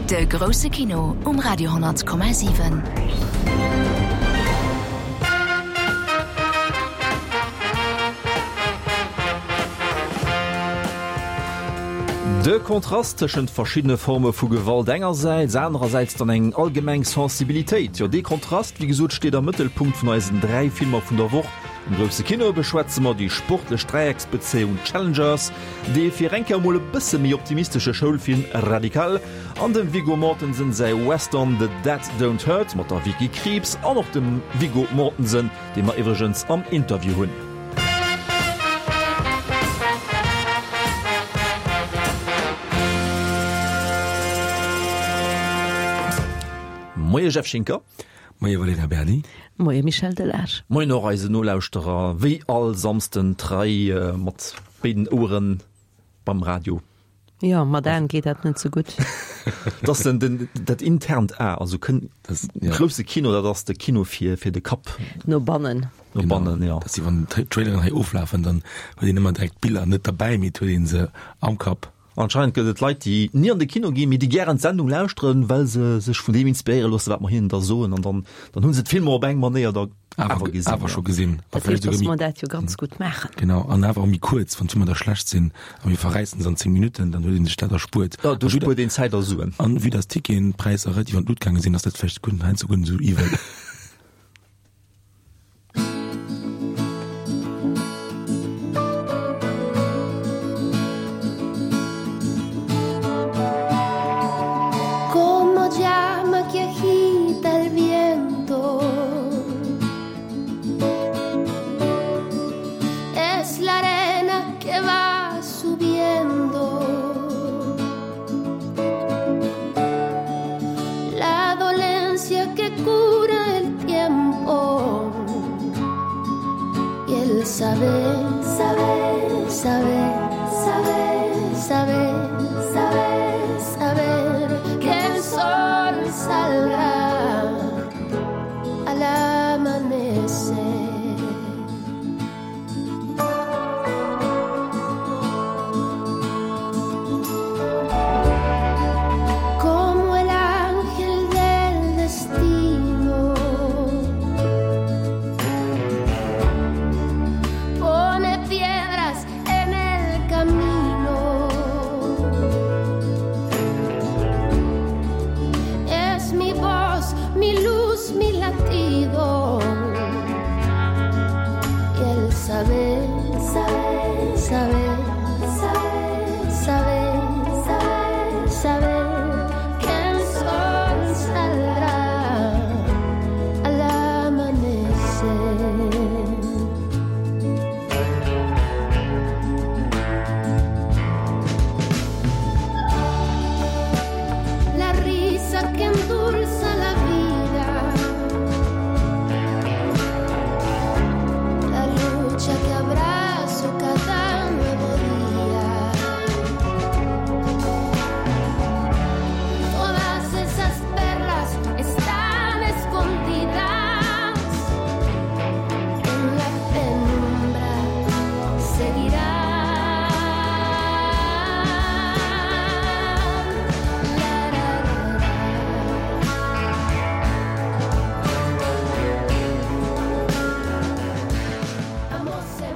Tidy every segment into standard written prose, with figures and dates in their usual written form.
De grousse Kino um Radio 10,7. De Kontrast tëschent verschiddene Forme vu Gewalt engersäits, anerersäits dann eng allgemeng Sensibilitéit, jo dee Kontrast, wéi gesot, steet am Mëttelpunkt vun eisen 3 Filmer vun der Woch. Am grousse Kino beschwätze mer déi sportlech Dräiecksbezéiung Challengers, dee fir eng Kéier emol e bësse méi optimistesche Schoulfilm Radical an dem Viggo Mortensen säi Western The Dead Don't Hurt mat der Vicky Krieps an och dem Viggo Mortensen, dee mer iwwregens am Interview hunn. Moie Jeff Schinker. Moie Valerija Berdi. Moie Michel Delage. Moien och eisen Nolauschterer, wéi all Samsden trei mat béiden Oueren beim Radio. Jo, mat Aen geet dat net sou gutt. Dat ass den, den, dat internt A, also kënn, grousse Kino, dat ass de Kino fir, fir de Kapp. No bannen. No bannen, jo. Dat si wann d'Traileren hei oflafen, dann huet een ëmmer direkt d'Biller net derbäi, mee et huet ee se am Kapp. Anscheinend gëtt et Leit, déi ni an de Kino ginn, mee déi gären d'Sendung lauschteren, well se sech vun deem inspiréiere loossen, wat mer hinnen da soen. An dann, dann hu se d'Filmer op eng Manéier da awer gesinn. Awer scho gesinn. Dat heescht, dass mer dat jo ganz gutt maachen. Genau, an awer och méi kuerz. Wann d'Filmer da schlecht sinn a mir verräissen se an 10 Minutten, dann huet ee sech dat erspuert. Jo, do spuert een Zäit a Suen. An vue dass d'Ticketpräisser relativ an d'Lut gaange sinn, ass dat vläicht guer heiansdo guer net esou iwwel.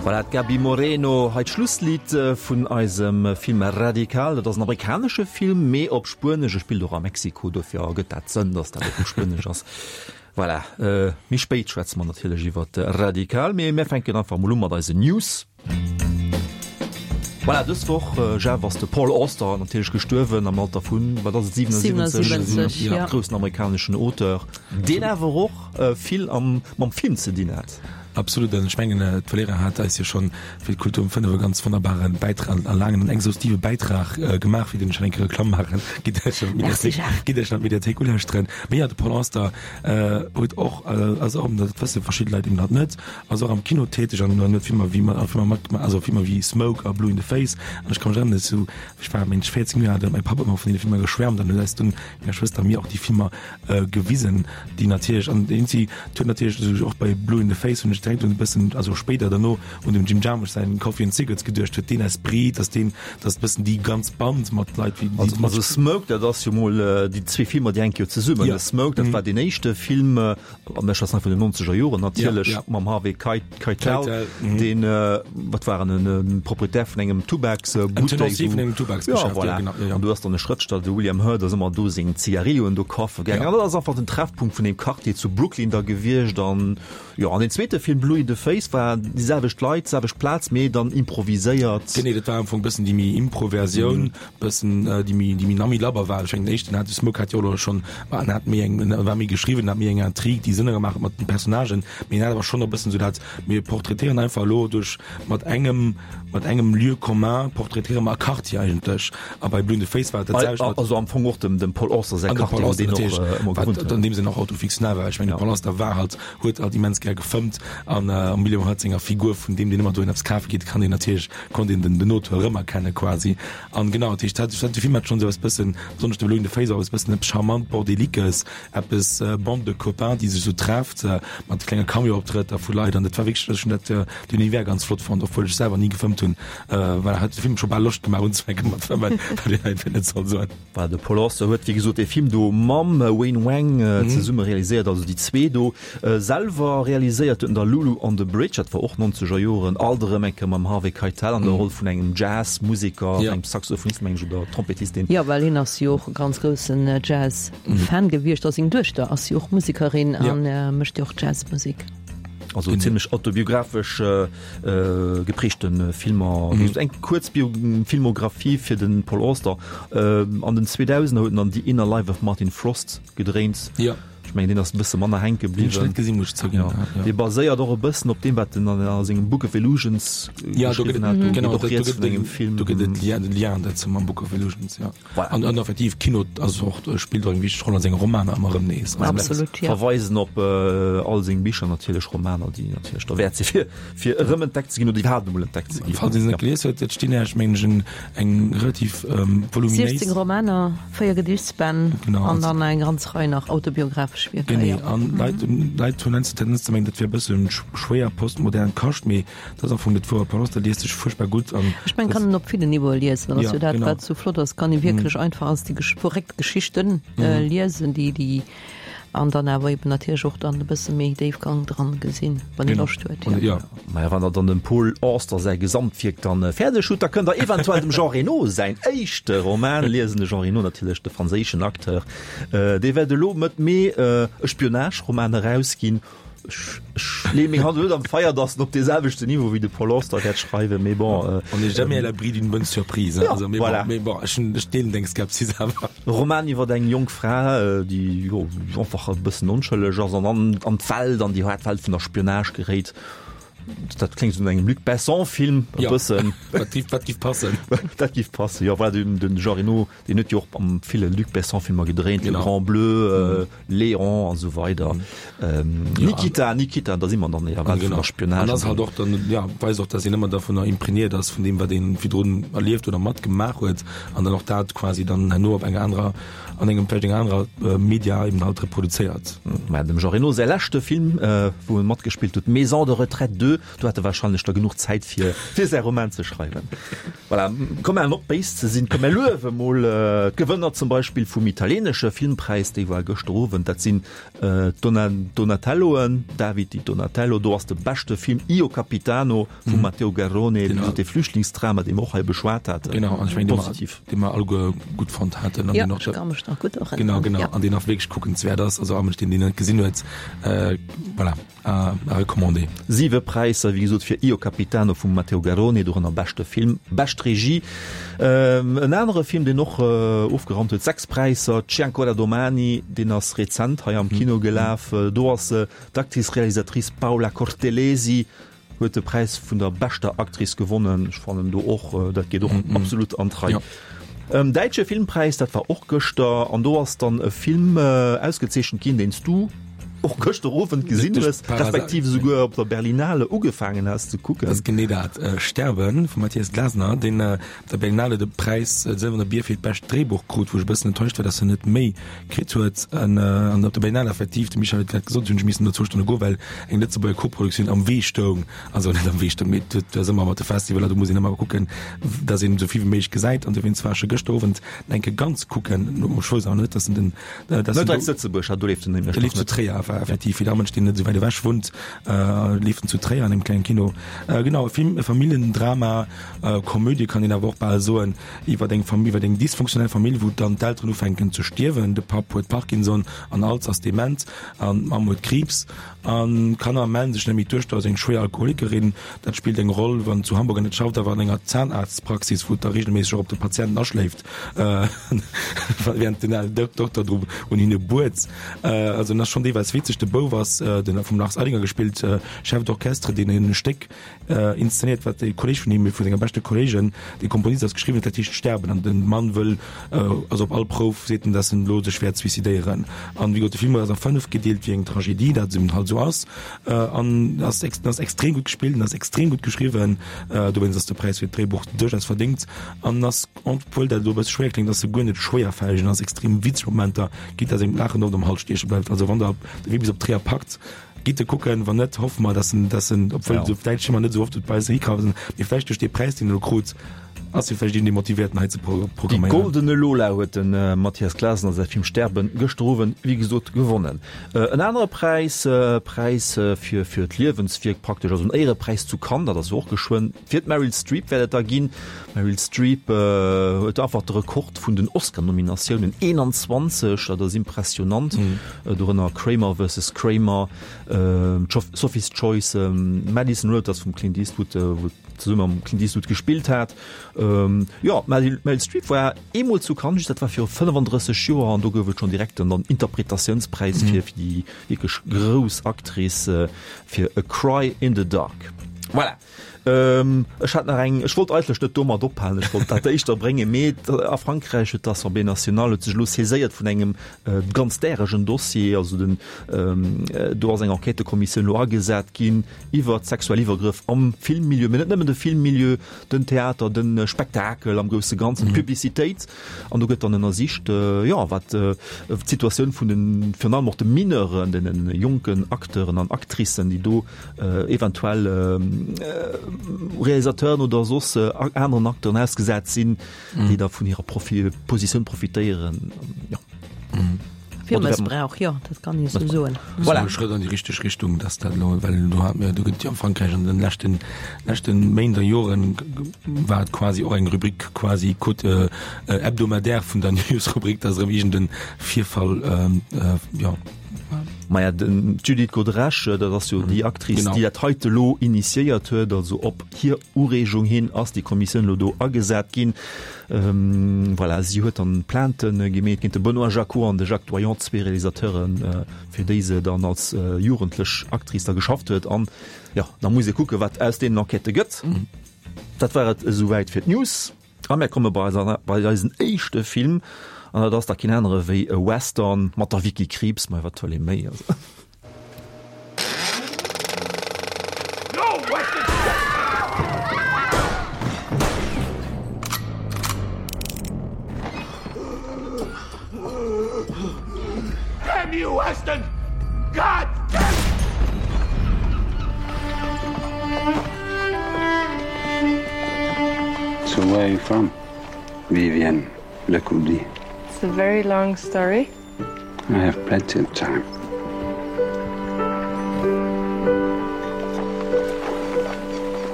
Voilà, d'Gaby Moreno, hei d'Schlusslidd vun eisem Film Radical. Dat ass en amerikanesche Film, mee op Spuenesch. E spillt och a Mexiko, dofir ergëtt dat Sënn, datt dat och op Spuenesch ass. Voilà, méi spéit schwätze mer natierlech iwwer Radical, mee mir fänken einfach mol u mat eisen News. Voilà, dës Woch, Jeff, ass de Paul Auster natierlech gestuerwen am Alter vun, wat ass et, 77? 77, ja. Groussen amerikaneschen Auteur, deen awer och vill am, mam Film ze dinn hat. Absolut, an ech mengen, d'Valerija hat eis jo schonn fir d'Kultur um 5 e ganz wonnerbare Bäitrag, a laangen an exhaustive Bäitrag gemaach, fir deen ech nach eng Kéier Reklamm maachen. Gitt Iech an d'Mediathéik, gitt Iech an d'Mediathéik ulauschteren. Mee jo, de Paul Auster huet och, ass och, dat wësse verschidde Leit eben hatt net, ass och am Kino täteg an huet Filmer wéi, Filmer matgemaach, also Filmer wéi Smoke a Blue in the Face. An ech ka mech erënneren, sou, ech war mengen ech 14 Joer al, do huet mäi Papp ëmmer vun deene Filmer geschwärmt an huet eis dunn, menger Schwëster a mir, och déi Filmer gewisen, déi natierlech, an deen si huet natierlech, och bei Blue in the Face hunn ech. direkt un e bëssen, also spéider derno, un dem Jim Jarmusch säin Coffee and Cigarettes geduecht huet, deen Esprit, dass deen, dass bëssen déi ganz Band mat Leit wéi déi. Also Smoke, dat ass jo mol déi zwee Filmer, déi hänke jo zesummen. Ja. Smoke, dat war deen éischte Film, an ech schwätzen hei vun den nonzeger Joren natierlech, mam Harvey Keitel, deen, wat war en, e Proprietär vun engem Tubaksbuttek. Tenancier vun engem Tubaksgeschäft, ja, voilà. Genau, ja, ja. An do ass dann e Schrëftsteller, de William Hurt, ass ëmmer do seng Zigarilloen do kafe gaangen. An dat ass einfach den Treffpunkt vun deem Quartier zu Brooklyn da gewiescht. An Jo, an den zweete Film Blue in the Face war déi selwecht Leit, selwecht Plaz, mee dann improviséiert. Genee, dat war am Fong bëssen déi méi Impro-Versioun, bëssen déi méi, déi méi nammi labber war. Ech mengen, den éischten hat, de Smoke hat jo och elo schonn, ma en hat méi eng, en war méi geschriwwen, en hat méi eng Intrigue, déi Sënn gemaach huet mat den Personnagen, mee en hat awer schonn och bëssen esou dat, mir portraitéieren einfach elo duerch, mat engem, mat engem Lieu commun portraitéiere mer e Quartier eigentlech. A bei Blue in the Face war et dat selwecht mat. Also am Fong och dem, dem Paul Auster säi An dem Quartier, Paul wou Auster deen och natierlech, ëmmer wat gewunnt huet. an deem Sënn och autofiktional war. Ech mengen, de Paul Auster war halt, huet halt immens gär gefëmmt an am William Hurt senger Figur vun deem, deen ëmmer dohin eppes kafe geet, kann een natierlech, konnt een den, den Auteur erëmerkenne quasi. An genau, dat heescht, dat, de Film hat schonn esou eppes bëssen, besonnesch de Blue in the Face, och eppes bëssen eppes charmant Bordeliques, eppes Bande de copains, déi sech esou trefft, mat klenge Cameo-Optrëtter vu Leit. An dat war wierklech, ech hunn dat, den Univers ganz flott fonnt, obwuel ech selwer ni gefëmmt hunn. Voilà, hat de Film scho bal Loscht gemaach unzefänke mat fëmmen, wat een einfach net soll soen. Voilà, de Paul Auster huet wéi gesot dee Film do mam Wayne Wang zesumme realiséiert, also déi zwee do. Selwer realiséiert huet en da Lulu on the Bridge, dat war och nonzeger Joren, alt erëm eng Kéier mam Harvey Keitel an der Roll vun engem Jazz-Museker, engem Saxophonist meng ech oder Trompettist, deen. Jo, well hien ass jo och e ganz groussen Jazz-Fan gewiescht a seng Duechter ass jo och Musekerin a mécht jo och Jazz-Musek. Also zimmlech autobiographesch geprägte Filmer. Wéi gesot, eng kuerz Bio Filmographie fir de Paul Auster. An den 2000er huet en dann The Inner Life of Martin Frost gedréint. Jo. Ech mengen, deen ass e bësse manner hänke Deen hu ech bliwwen. net gesinn, muss ech zouginn. Jo. Ja. Dee baséiert och e bëssen op deem, wat en a sengem Book of Illusions Ja, do gëtt geschriwwen et, hat. Do genau, geet och do rieds gëtt vun engem et, Film. do gëtt et Lien, de Lien dozou mam Book of Illusions, jo. Voilà. An, an effektiv, Kino ass och, spillt och eng wichteg Roll an senge Romaner ëmmer erëm nees. Also, Absolut, jo. Verweisen op all seng Bicher natierlech, Romaner, déi natierlech derwäert si fir fir erëm entdeckt ze ginn oder iwwerhaapt emol entdeckt ze ginn. Falls een se net gelies huet, et stinn Iech, mengen ech, en, eng relativ voluminéis. 16 Romaner, 4 Gediichtsbänn Genau, an also. dann eng ganz Rei nach autobiographesch Wierker, Genee, jo. an Leit, Leit hunn heiansdo d'Tendenz ze mengen, dat wier e bëssen schwéier postmodern Kascht, mee dat ass am Fong net wouer. Paul Auster liest sech fuerchtbar gutt an. Ech mengen, kann en op villen Niveaue liesen. Dat ass Ja, jo dat, genau. wat sou flott ass, kann ee wierklech einfach als déi verréckt Geschichten liesen, déi, déi. An dann awer eben natierlech och dann e bësse méi Déifgang dran gesinn, wann ee Loscht huet. Jo. Maja, wann der dann dem Paul Auster säi Gesamtwierk dann fäerdeg hutt, da kënnt der eventuell dem Jean Reno säin éischte Roman liesen. De Jean Reno natierlech, de franséischen Acteur, dee wäert elo Mëtt Mee e Spionage-Roman erausginn. Ech, ech leeë meng Hand elo net am Feier, datt en op dee selwechten Niveau wéi de Paul Auster wäert schreiwen, mee bon. On n'est jamais à l'abri d'une bonne surprise, hein. Ja, Also, mee voilà. bon, mee bon, ech hunn, ech deelen deng Skepsis awer. E Roman iwwer eng jonk Fra, déi jo einfach e bëssen onschëlleg ass an an an d'Welt, an déi haart Welt vun der Spionage geréit. Dat kléngt esou no engem Luc Besson-Film e Ja. bëssen. Dat giff, dat giff passen. Dat giff passen, jo. Voilà, den, den Jean Reno, deen huet jo och am ville Luc Besson-Filmer gedréint, Le Genau. Grand Bleu, Léon an esou weider. Nikita, Nikita, da si mer dann eher Welt vun der Spionage. An ass halt och dann, ja, weist och, dass een ëmmer dovunner imprégnéiert ass, vun deem, wat een virdrun erlieft oder matgemaach huet, an dann och dat quasi dann herno op enger anerer, an engem vläicht enger anerer Media eben halt reproduzéiert. Mä dem Jean Reno säi leschte Film, wou en matgespillt huet, Maison de retraite 2, do hat e wahrscheinlech da genuch Zäit fir fir säi Roman ze schreiwen. Voilà, komm mer op béis ze sinn, komm mer luewe mol d'Gewënner zum Beispill vum italienesche Filmpräis, déi war gëschter Owend, dat sinn d'Donatelloen, David di Donatello, do ass de beschte Film Io Capitano vum Matteo Garrone, wéi gesot dee Flüchtlingsdrama, dee mer och hei beschwat haten. Genau, an ech mengen, dee mer, Positiv. dee mer alleguer gutt fonnt haten an Jo, deen och ech ka mech nach gutt erënneren. Genau, genau, Ja. an deen och wierklech kuckenswäert ass, also all Mënsch, deen deen net gesinn huet, voilà. À recommander. Siwe Präisser, wéi gesot, fir Io Capitano vum Matteo Garrone, dorënner beschte Film, bescht Regie. En anere Film, deen och ofgeraumt huet, sechs Präisser, C'è ancora domani, deen ass rezent hei am Kino gelaf. Do ass d'Actrice-Réalisatrice Paola Cortellesi huet de Präis vun der beschter Actrice gewonnen. Ech fannen do och, dat geet och absolut an d'Rei. Däitsche Filmpräis, dat war och gëschter, an do ass dann e Film ausgezeechent ginn, deen s du. Och gëschter Owend gesinn hues, respektiv esouguer op der Berlinale ugefaangen has ze kucken. Dat ass genee dat, Sterben vum Matthias Glasner, deen op der Berlinale de Präis, de Sëlwerne Bier fir d'bescht Dréibuch krut, wou ech e bëssen enttäuscht war, dass en net méi kritt huet. An op der Berlinale effektiv, de Michel huet et grad gesot, hunn ech missen no zwou Stonne goen, well eng Lëtzebuerger Koproduktioun am Wee stoung, also net am Wee stoung, mee et ass ëmmer mat de Festivaler, do muss een ëmmer kucken, dass een esou vill wéi méiglech gesäit. An dowéinst war ech e gëschter Owend eng Kéier ganz kucken, ech wousst awer net, dass en den Net hei zu Lëtzebuerg, do leeft en nämlech nach net. Leeft zu Tréier, war effektiv fir Mënsch, deen net esou wäit ewech wunnt, leeft en zu Tréier an engem klengen Kino. Genau, e Film, e Familljendrama, Komödie kann een awer och bal soen, iwwer eng Famill, iwwer eng dysfunktionell Famill, wou dann d'Elteren ufänken ze stierwen. De Papp huet Parkinson an Alz, ass dement an d'Mamm huet Kriibs an d'Kanner mellen sech net méi. D'Duechter ass eng schwéier Alkoholikerin, dat spillt eng Roll, wann zu Hamburg an et schafft awer an enger Zahnarztpraxis, wou et da regelméisseg och op de Patienten aschléift. Während den alen Dokter dru un hinne buert. Also en ass schonn deelweis witzeg. De Bouf ass, den vum Lars Eidinger gespillt, Chef d'orchestre, deen e Stéck inszenéiert, wat e Kolleeg vun him, ee vu senger beschte Kolleegen, dee Komponist ass, geschriwwen huet, dat heescht Sterben. An de Mann wëll, also op all Prouf seet en, dass en elo sech wäert suicidéieren. An wéi gesot, de Film ass a 5 gedeelt, wéi eng Tragedie dat eben halt esou ass. An ass ass extrem gutt gespillt, en ass extrem gutt geschriwwen. Dowéinst ass de Präis fir d'Dréibuch duerchaus verdéngt. An ass, obwuel dat elo e bësse schwéier kléngt, ass se guer net schwéierfälleg an ass extrem witzeg Momenter gitt, dass engem d'Laachen oft am Hals stieche bleift. Also wann der de Wee bis op Tréier packt, gitt e kucken, wann net, hoffe mer, dass en, dass en, obwuel esou däitsch Filmer net esou oft bei eis erikaufen, mee vläicht duerch dee Präis, deen en elo krut, ass e vläicht een, dee motivéiert en hei ze Déi programméieren. Goldene Lola huet de Matthias Clasen a säi Film Sterben gëschter Owend, wéi gesot, gewonnen. En anere Präis, Präis fir fir d'Liewenswierk praktesch, also en Éierepräis zu Cannes, dat ass jo och geschwënn, fir d'Meryl Streep wäert et da ginn. D'Meryl Streep huet einfach de Rekord vun den Oscar-Nominatiounen, 21, dat ass impressionant. Dorënner Kramer vs. Kramer, Sophie's Choice, Madison Road, dat ass vum Clint Eastwood, wou zesumme mam Clint Eastwood gespillt hat. Jo, d'Meryl Streep war eemol zu Cannes, just dat war viru 35 Joer an do gouf et schonn direkt den Interpretatiounspräis fir déi wierklech grouss Actrice fir A Cry in the Dark. Voilà. Ech hat nach eng, ech wollt eigentlech net domat ophalen, ech wollt dat éischter bréngen, mee a Frankräich huet d'Assemblée nationale huet sech elo saiséiert vun engem ganz däregen Dossier, also den, do ass eng Enquêtëkommissioun elo agesat ginn iwwert sexuell Iwwergrëff am Filmmilieu, mee net nëmmen de Filmmilieu, den Theater, de Spektakel am grousse Ganzen, d'Publicitéit. An do gëtt dann ënnersicht, jo, wat d'Situatioun vun den, virun allem och de Mineuren, deene jonken Acteuren an Actricen, déi do eventuell Realisateuren oder soss aneren Acteuren ausgesat sinn, déi da vun hirer Positioun profitéieren. Jo. Fir Mëssbrauch, jo, dat kann ee sou soen. Voilà. E Schrëtt an déi richteg Richtung, dass dat elo, well do hat mir, do gëtt jo am Frankräich an den leschten, leschten Méint a Joren war et quasi och eng Rubrik quasi quot hebdomadaire vun der Newsrubrik, dass erëm iergend e Virfall, jo. Maja, den d'Judith Godrèche, dat ass jo déi Actrice, déi dat heite elo initiéiert huet, also op hir Ureegung hin ass déi Kommissioun elo do agesat ginn. Voilà, si huet dann Plainte gemeet géint de Benoît Jacquot an de Jacques Doillon, zwee Realisateuren, fir déi se dann als jugendlech Actrice da geschafft huet. An jo, da muss ee kucken, wat aus deenen Enquêtë gëtt. Dat war et esouwäit fir d'News. A mär komme bei eiser, bei eisen éischte Film, an dat ass da keen anere wéi e Western mat der Vicky Krieps, ma wat wëll ee méi, also. Damn you, Weston! God damn! So where are you from? Vivian Lecoudi. It's a very long story. I have plenty of time.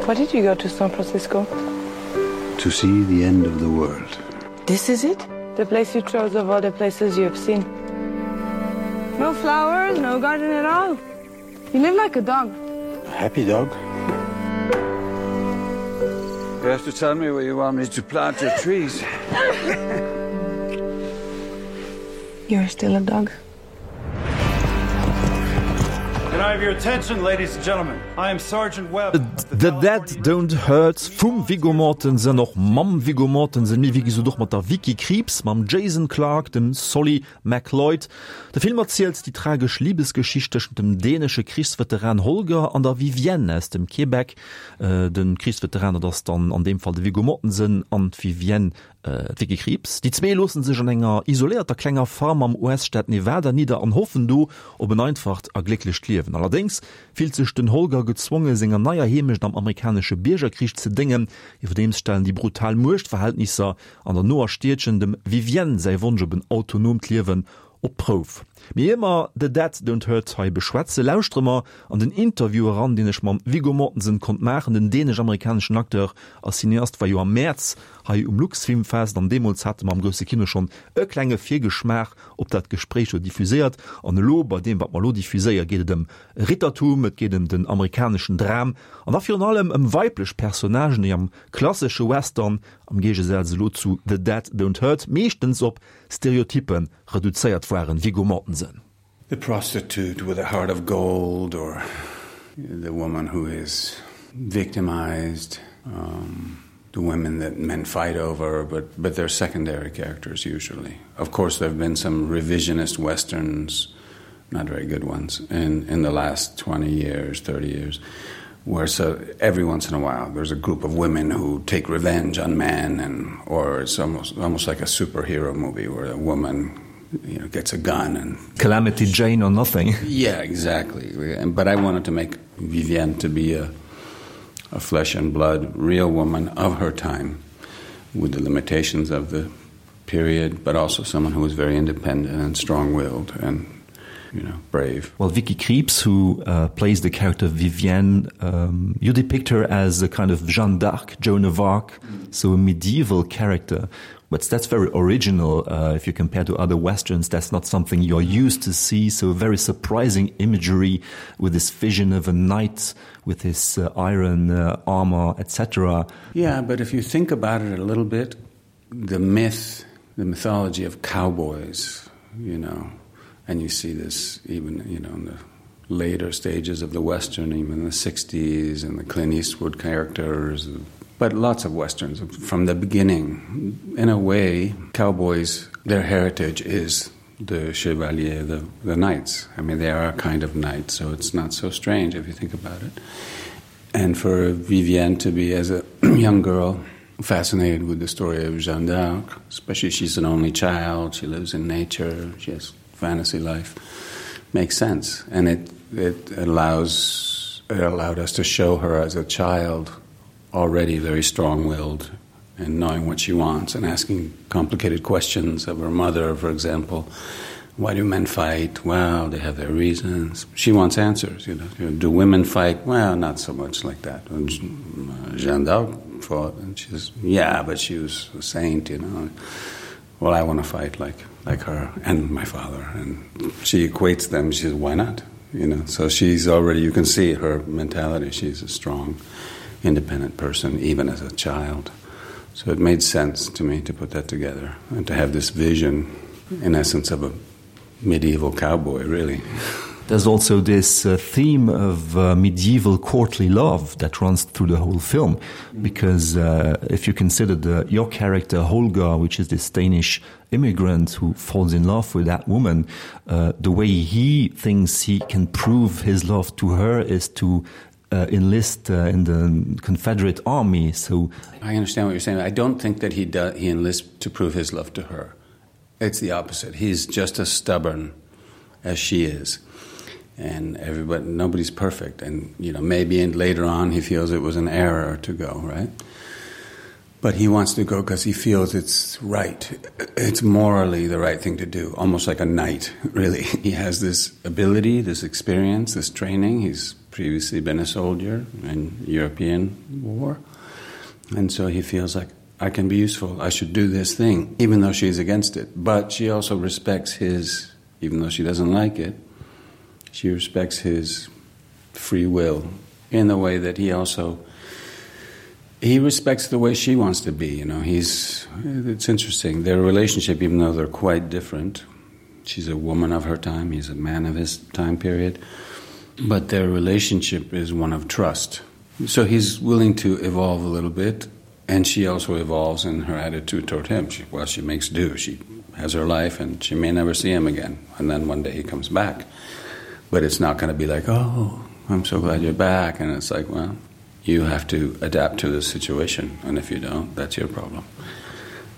Why did you go to San Francisco? To see the end of the world. This is it? The place you chose of all the places you have seen. No flowers, no garden at all. You live like a dog. A happy dog. You have to tell me where you want me to plant your trees. You're still a dog. Can. I have your attention, ladies and gentlemen? I am Sergeant Webb. The Dead Don't Hurt vum Viggo Mortensen, och mam Viggo Mortensen, mee wéi gesot och mat der Vicky Krieps, mam Jason Clarke, dem Solly McLeod. De Film erzielt déi tragesch Libesgeschicht tëschent dem dänesche Krichsveteran Holger an der Vivienne aus dem Québec. De Krichsveteran, dat ass dann an deem Fall de Viggo Mortensen, an d'Vivienne D'Vicky Krieps. Déi zwee loosse sech an enger isoléierter klenger Farm am US-Staat Nevada nidder an hoffen do op en einfacht a glécklecht Liewen. Allerdéngs fillt sech den Holger gezwonge senger neier Heemecht am amerikanesche Biergerkrich ze déngen. Iwwerdeems stellen déi brutal Muechtverhältnisser an der noer Stiedchen dem Vivienne säi Wonsch op en autonoomt Liewen op d'Prouf. Mee ier mer The Dead Don't Hurt hei beschwätze, lauschtere mer an den Interview eran, deen ech mam Viggo Mortensen konnt maachen. Den dänesch-amerikaneschen Acteur a Cineast war jo am Mäerz hei um Luxfilmfest an deemools hate mer am grousse Kino schonn e klenge Virgeschmaach op dat Gespréich do diffuséiert. An elo, bei deem wat mer elo diffuséiere, geet et ëm Rittertum, et geet ëm den amerikaneschen Dram an da virun allem ëm weiblech Personnagen, déi am klassesche Western, am Géigesaz elo zu The Dead Don't Hurt, meeschtens op Stereotyppe reduzéiert waren. Viggo Mortensen. The prostitute with a heart of gold or the woman who is victimized, um, the women that men fight over, but, but they're secondary characters usually. Of course, there have been some revisionist westerns, not very good ones, in, in the last 20 years, 30 years, where so every once in a while there's a group of women who take revenge on men and or it's almost almost like a superhero movie where a woman you know gets a gun and calamity Jane or nothing yeah exactly and but I wanted to make Vivienne to be a a flesh and blood real woman of her time with the limitations of the period but also someone who was very independent and strong-willed and you know brave well Vicky Krieps who uh, plays the character Vivienne um, you depict her as a kind of Jeanne d'Arc Joan of Arc mm. so a medieval character but that's very original uh, if you compare to other westerns that's not something you're used to see so very surprising imagery with this vision of a knight with his uh, iron uh, armor etc yeah but if you think about it a little bit the myth the mythology of cowboys you know and you see this even you know in the later stages of the western even the 60s and the Clint Eastwood characters but lots of westerns from the beginning in a way cowboys their heritage is the chevalier the the knights I mean they are a kind of knight so it's not so strange if you think about it and for Vivienne to be as a young girl fascinated with the story of Jeanne d'Arc especially she's an only child she lives in nature she has fantasy life makes sense and it it allows it allowed us to show her as a child already very strong-willed and knowing what she wants and asking complicated questions of her mother for example why do men fight well they have their reasons she wants answers you know, you know do women fight well not so much like that and uh, Jeanne d'Arc fought and she's yeah but she was a saint you know well I want to fight like like her and my father and she equates them she says why not you know so she's already you can see her mentality she's a strong independent person even as a child so it made sense to me to put that together and to have this vision in essence of a medieval cowboy really There's also this uh, theme of uh, medieval courtly love that runs through the whole film because uh, if you consider the, your character Holger, which is this Danish immigrant who falls in love with that woman, uh, the way he thinks he can prove his love to her is to uh, enlist uh, in the Confederate army. So I understand what you're saying. I don't think that he does, he enlists to prove his love to her. It's the opposite. He's just as stubborn as she is. And everybody nobody's perfect and you know maybe and later on he feels it was an error to go, right? But he wants to go because he feels it's right. It's morally the right thing to do, almost like a knight, really. He has this ability, this experience, this training. He's previously been a soldier in European war. And so he feels like I can be useful. I should do this thing, even though she's against it. But she also respects his, even though she doesn't like it, she respects his free will in the way that he also he respects the way she wants to be you know he's it's interesting their relationship even though they're quite different she's a woman of her time he's a man of his time period. But their relationship is one of trust. So he's willing to evolve a little bit and she also evolves in her attitude toward him. She, well, she makes do. She has her life and she may never see him again. And then one day he comes back. But it's not going to be like, oh, I'm so glad you're back. And it's like, well, you have to adapt to the situation. And if you don't, that's your problem.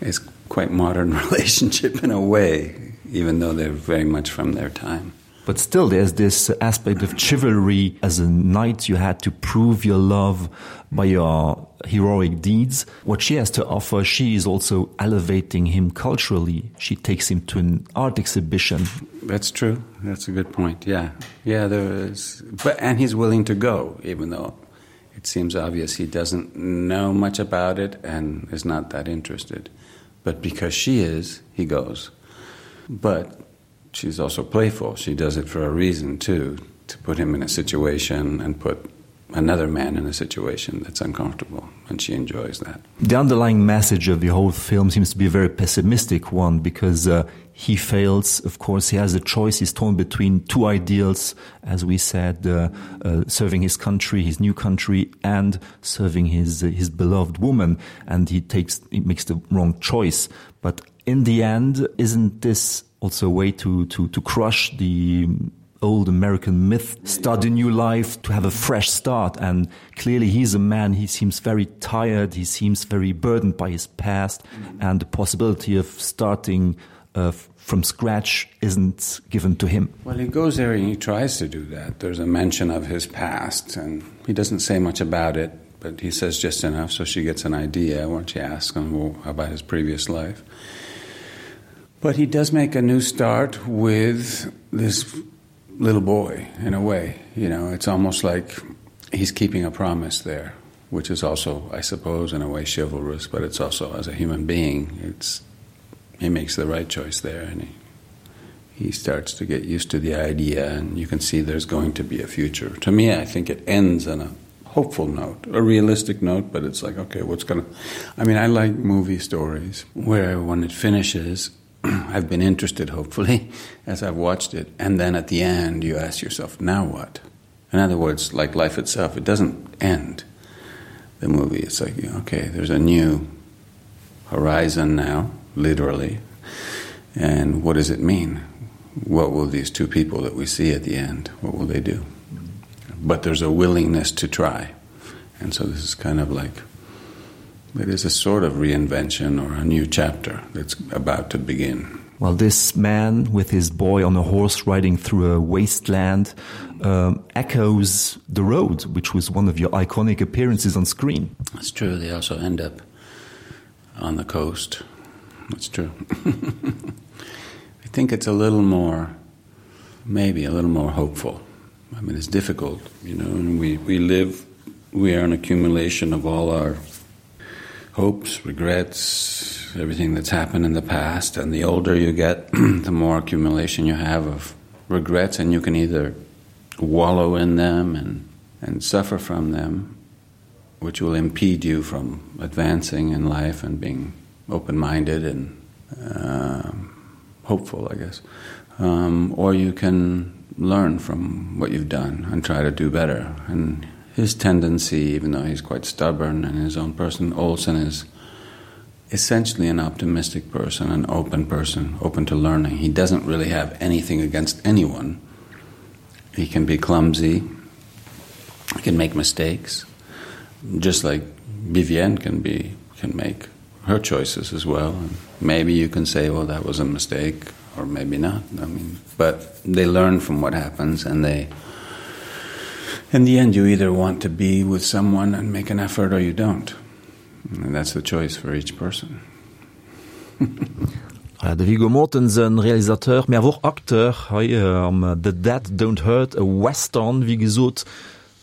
It's quite modern relationship in a way, even though they're very much from their time. But still there's this aspect of chivalry as a knight you had to prove your love by your heroic deeds. What she has to offer, she is also elevating him culturally. She takes him to an art exhibition. That's true. That's a good point. Yeah. Yeah, there is. But, and he's willing to go, even though it seems obvious he doesn't know much about it and is not that interested. But because she is, he goes. But she's also playful. She does it for a reason too, to put him in a situation and put another man in a situation that's uncomfortable and she enjoys that. The underlying message of the whole film seems to be a very pessimistic one because uh, he fails. Of course, he has a choice. He's torn between two ideals, as we said, uh, uh, serving his country, his new country, and serving his, uh, his beloved woman. And he takes he makes the wrong choice. But in the end, isn't this also a way to, to, to crush the old American myth, start a new life, to have a fresh start. And clearly he's a man, he seems very tired, he seems very burdened by his past, and the possibility of starting uh, from scratch isn't given to him. Well, he goes there and he tries to do that. There's a mention of his past, and he doesn't say much about it, but he says just enough so she gets an idea when she asks him about his previous life. But he does make a new start with this little boy in a way. You know, it's almost like he's keeping a promise there, which is also, I suppose, in a way chivalrous, but it's also as a human being, it's he makes the right choice there and he he starts to get used to the idea and you can see there's going to be a future. To me, I think it ends on a hopeful note, a realistic note, but it's like, okay, what's gonna I mean, I like movie stories where when it finishes, I've been interested, hopefully, as I've watched it. And then at the end, you ask yourself, now what? In other words, like life itself, it doesn't end the movie. It's like, okay, there's a new horizon now, literally. And what does it mean? What will these two people that we see at the end, what will they do? But there's a willingness to try. And so this is kind of like it is a sort of reinvention or a new chapter that's about to begin. Well, this man with his boy on a horse riding through a wasteland um, echoes the road, which was one of your iconic appearances on screen. That's true. They also end up on the coast. That's true. I think it's a little more, maybe a little more hopeful. I mean, it's difficult, you know, and we, we live, we are an accumulation of all our hopes, regrets, everything that's happened in the past. And the older you get, the more accumulation you have of regrets, and you can either wallow in them and, and suffer from them, which will impede you from advancing in life and being open-minded and uh, hopeful, I guess. Um, or you can learn from what you've done and try to do better. And his tendency, even though he's quite stubborn and his own person, Olsen is essentially an optimistic person, an open person, open to learning. He doesn't really have anything against anyone. He can be clumsy, he can make mistakes, just like Vivienne can be can make her choices as well. And maybe you can say, well, that was a mistake, or maybe not. I mean, but they learn from what happens and they in the end you either want to be with someone and make an effort or you don't. And that's the choice for each person. Voilà, de Viggo Mortensen, Realisateur, mee awer och Acteur hei am The Dead Don't Hurt, e Western, wéi gesot.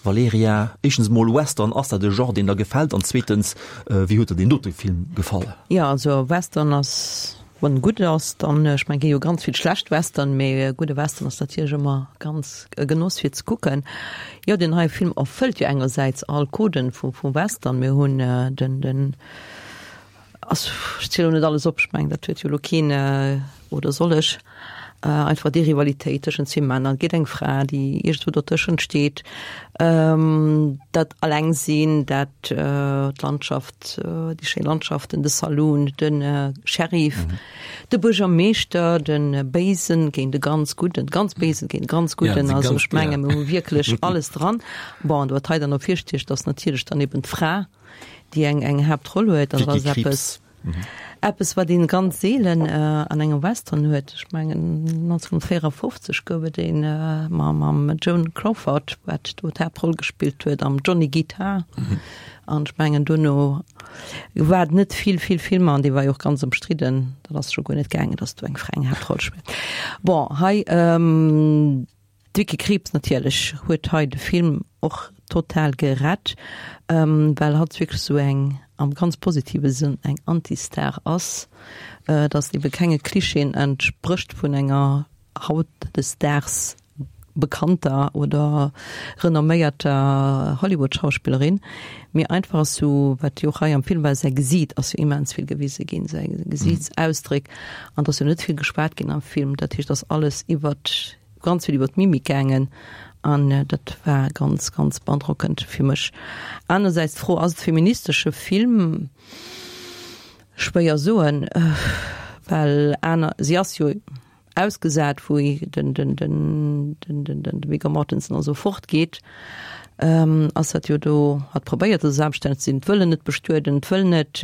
Valerija, éischtens emol, Western, ass dat e Genre, deen der gefält? An zweetens, wéi huet der deen dote Film gefall? Jo, also Western ass, wann en gutt ass, dann, ech mengen, gi jo ganz vill schlecht Western, mee e gudde Western ass natierlech ëmmer ganz e Genoss fir ze kucken. Jo, deen heie Film erfëllt jo engersäits all Coden vum Western. Mir hunn den, den, ass, ech zielen elo net alles op, ech mengen, dat huet jo elo keen, oder soll ech? Einfach déi Rivalitéit tëschent zwee Männer, et geet eng Fra, déi iergendwou dotëschent steet, dat Allengsinn, dat d'Landschaft, déi schéi Landschaften, de Saloon, de Sheriff, de Buergermeeschter, de Béisen géint de ganz Gudden, de ganz Béisen géint de ganz Gudden. Also ech menge mir hu wierklech alles dran. Bon, an wat hei dann ervirsticht, ass natierlech dann eben d'Fra, déi eng eng Haaptroll huet. An dat ass eppes. Eppes wat een ganz seelen an engem Western huet. Ech mengen 1954 gouf et een mam Joan Crawford, wat do d'Haaptroll gespillt huet am Johnny Guitar. An ech mengen duerno war et net vill vill Filmer an dee war jo och ganz ëmstridden. Dat ass scho guer net gaangen, datt do eng Fra eng Haaptroll spillt. Bon hei. D'Vicky Krieps natierlech huet hei de Film och total gerett, well hatt wierklech sou eng, am ganz positive Sënn, eng Anti-Star ass, dass ebe kenge Klischeeën entsprécht vun enger hautdesdaags bekannter oder renomméierter Hollywood-Schauspillerin, mee einfach ass sou, wat jo och hei am Film war, säi Gesiit ass jo immens vill gewise ginn, säi Gesiitsausdréck, an et ass jo net vill geschwat ginn am Film, dat heescht, ass alles iwwert ganz vill iwwer d'Mimik gaangen an dat war ganz, ganz beandrockend fir mech. Anersäits d'Fro, ass et feministesche Film? Schwéier soen, well aner, si ass jo ausgesat, wou den, den, den, den, den, den Viggo Mortensen also fortgeet, ass dat jo do, hat probéiert, esou selbststänneg ze sinn, d'wëllen net bestueden, d'wëll net,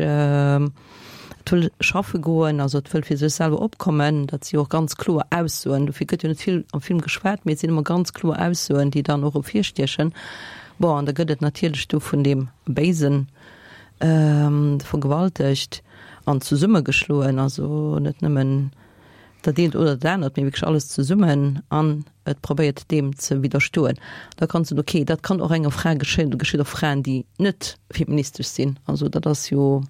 Et wëll schaffe goen, also et wëll fir sech selwer opkommen. Dat si jo och ganz kloer Aussoen. Dofir gëtt jo net vill am Film geschwat, mee et sinn ëmmer ganz kloer Aussoen, déi dann och ervirstiechen. Bon, an da gëtt et natierlech do vun deem Béisen vergewaltegt an zesummegeschloen, also net nëmmen dat eent oder dat anert, mee wierklech alles zesummen an et probéiert deem ze widderstoen. Da kanns du soen, okay, dat kann och enger Fra geschéien, dat geschitt och Fraen, déi net feministesch sinn. Also dat ass jo.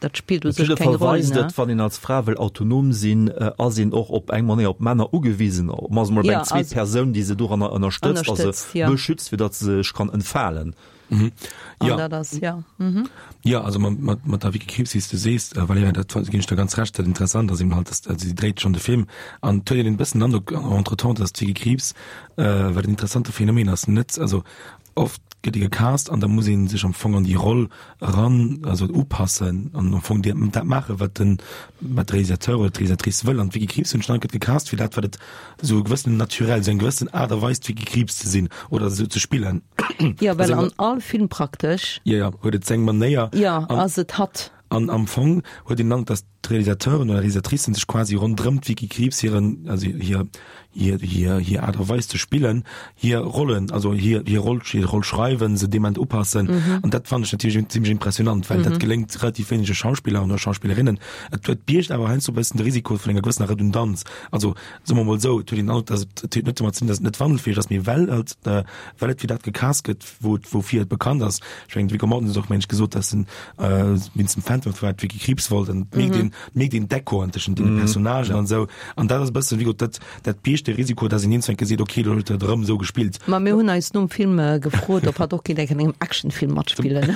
Dat spillt u sech keng Roll, ne? Wann een als Fra wëll autonom sinn, ass een och op eng Manéier op Männer ugewisen, op mannst mol op eng zweet Persoun, déi se doranner ënnerstëtzt a se beschützt, fir datt se sech kann entfalen. Jo. Dat ass, jo. Jo, also mat der Vicky Krieps, wéi s de sees, Valerija, dat ginn ech der ganz Recht. Dat Interessant ass eben halt, datt, also si dréit schonn de Film an et huet een e bëssen den Androck entretemps, datt d'Vicky Krieps, wat en interessante Phänomen ass, net, also Oft gëtt ee gecast an da muss ee sech am Fong an déi Roll eran, also upassen an am Fong dat maachen, wat den, wat de Realisateur oder d'Realisatrice wëll. An d'Vicky Krieps hunn ech gëtt gecast fir dat, wat et esou e gewëssenen Naturel, esou eng gewëssen Aart a Weis d'Vicky Krieps ze sinn oder esou ze spillen. Jo, well an all Film praktesch. Jo, jo, huet et seng Manéier. Jo, ass et hatt. An am Fong huet een dann, dass d'Realisateuren oder Realisatricen sech quasi ronderëm d'Vicky Krieps hiren, also hir, hir, hir, hir Aart a Weis ze spillen, hir Rollen, also hir, hir Roll, hir Roll schreiwen, se dement upassen. Mhm. An dat fand ech natierlech zimmlech impressionant, well mhm. dat geléngt relativ wéinege Schauspiller oder Schauspillerinnen. Et huet biergt awer heiansdo e bëssen de Risiko vun enger gewëssener Redundanz. Also soe mer mol esou, et huet een den Androck, dass et, et huet net domat ze dinn, dass et net wandelfäeg ass, mee well et, äh, well et fir dat gecast gëtt, wou et woufir et bekannt ass. Ech mengen de Viggo Mortensen huet och meng ech gesot, dass en wéinst dem Phantom Thread d'Vicky Krieps wollt an et mierkt een et mierkt een d'Echoen tëschent deene Personnagen an esou an dat ass e bëssen wéi gesot dat dat biergt de Risiko, dass een iergendwann geseet, okay elo huet et erëm esou gespillt. Ma mir hunn eis nom Film gefrot, ob hatt och kéint an engem Actionfilm matspillen.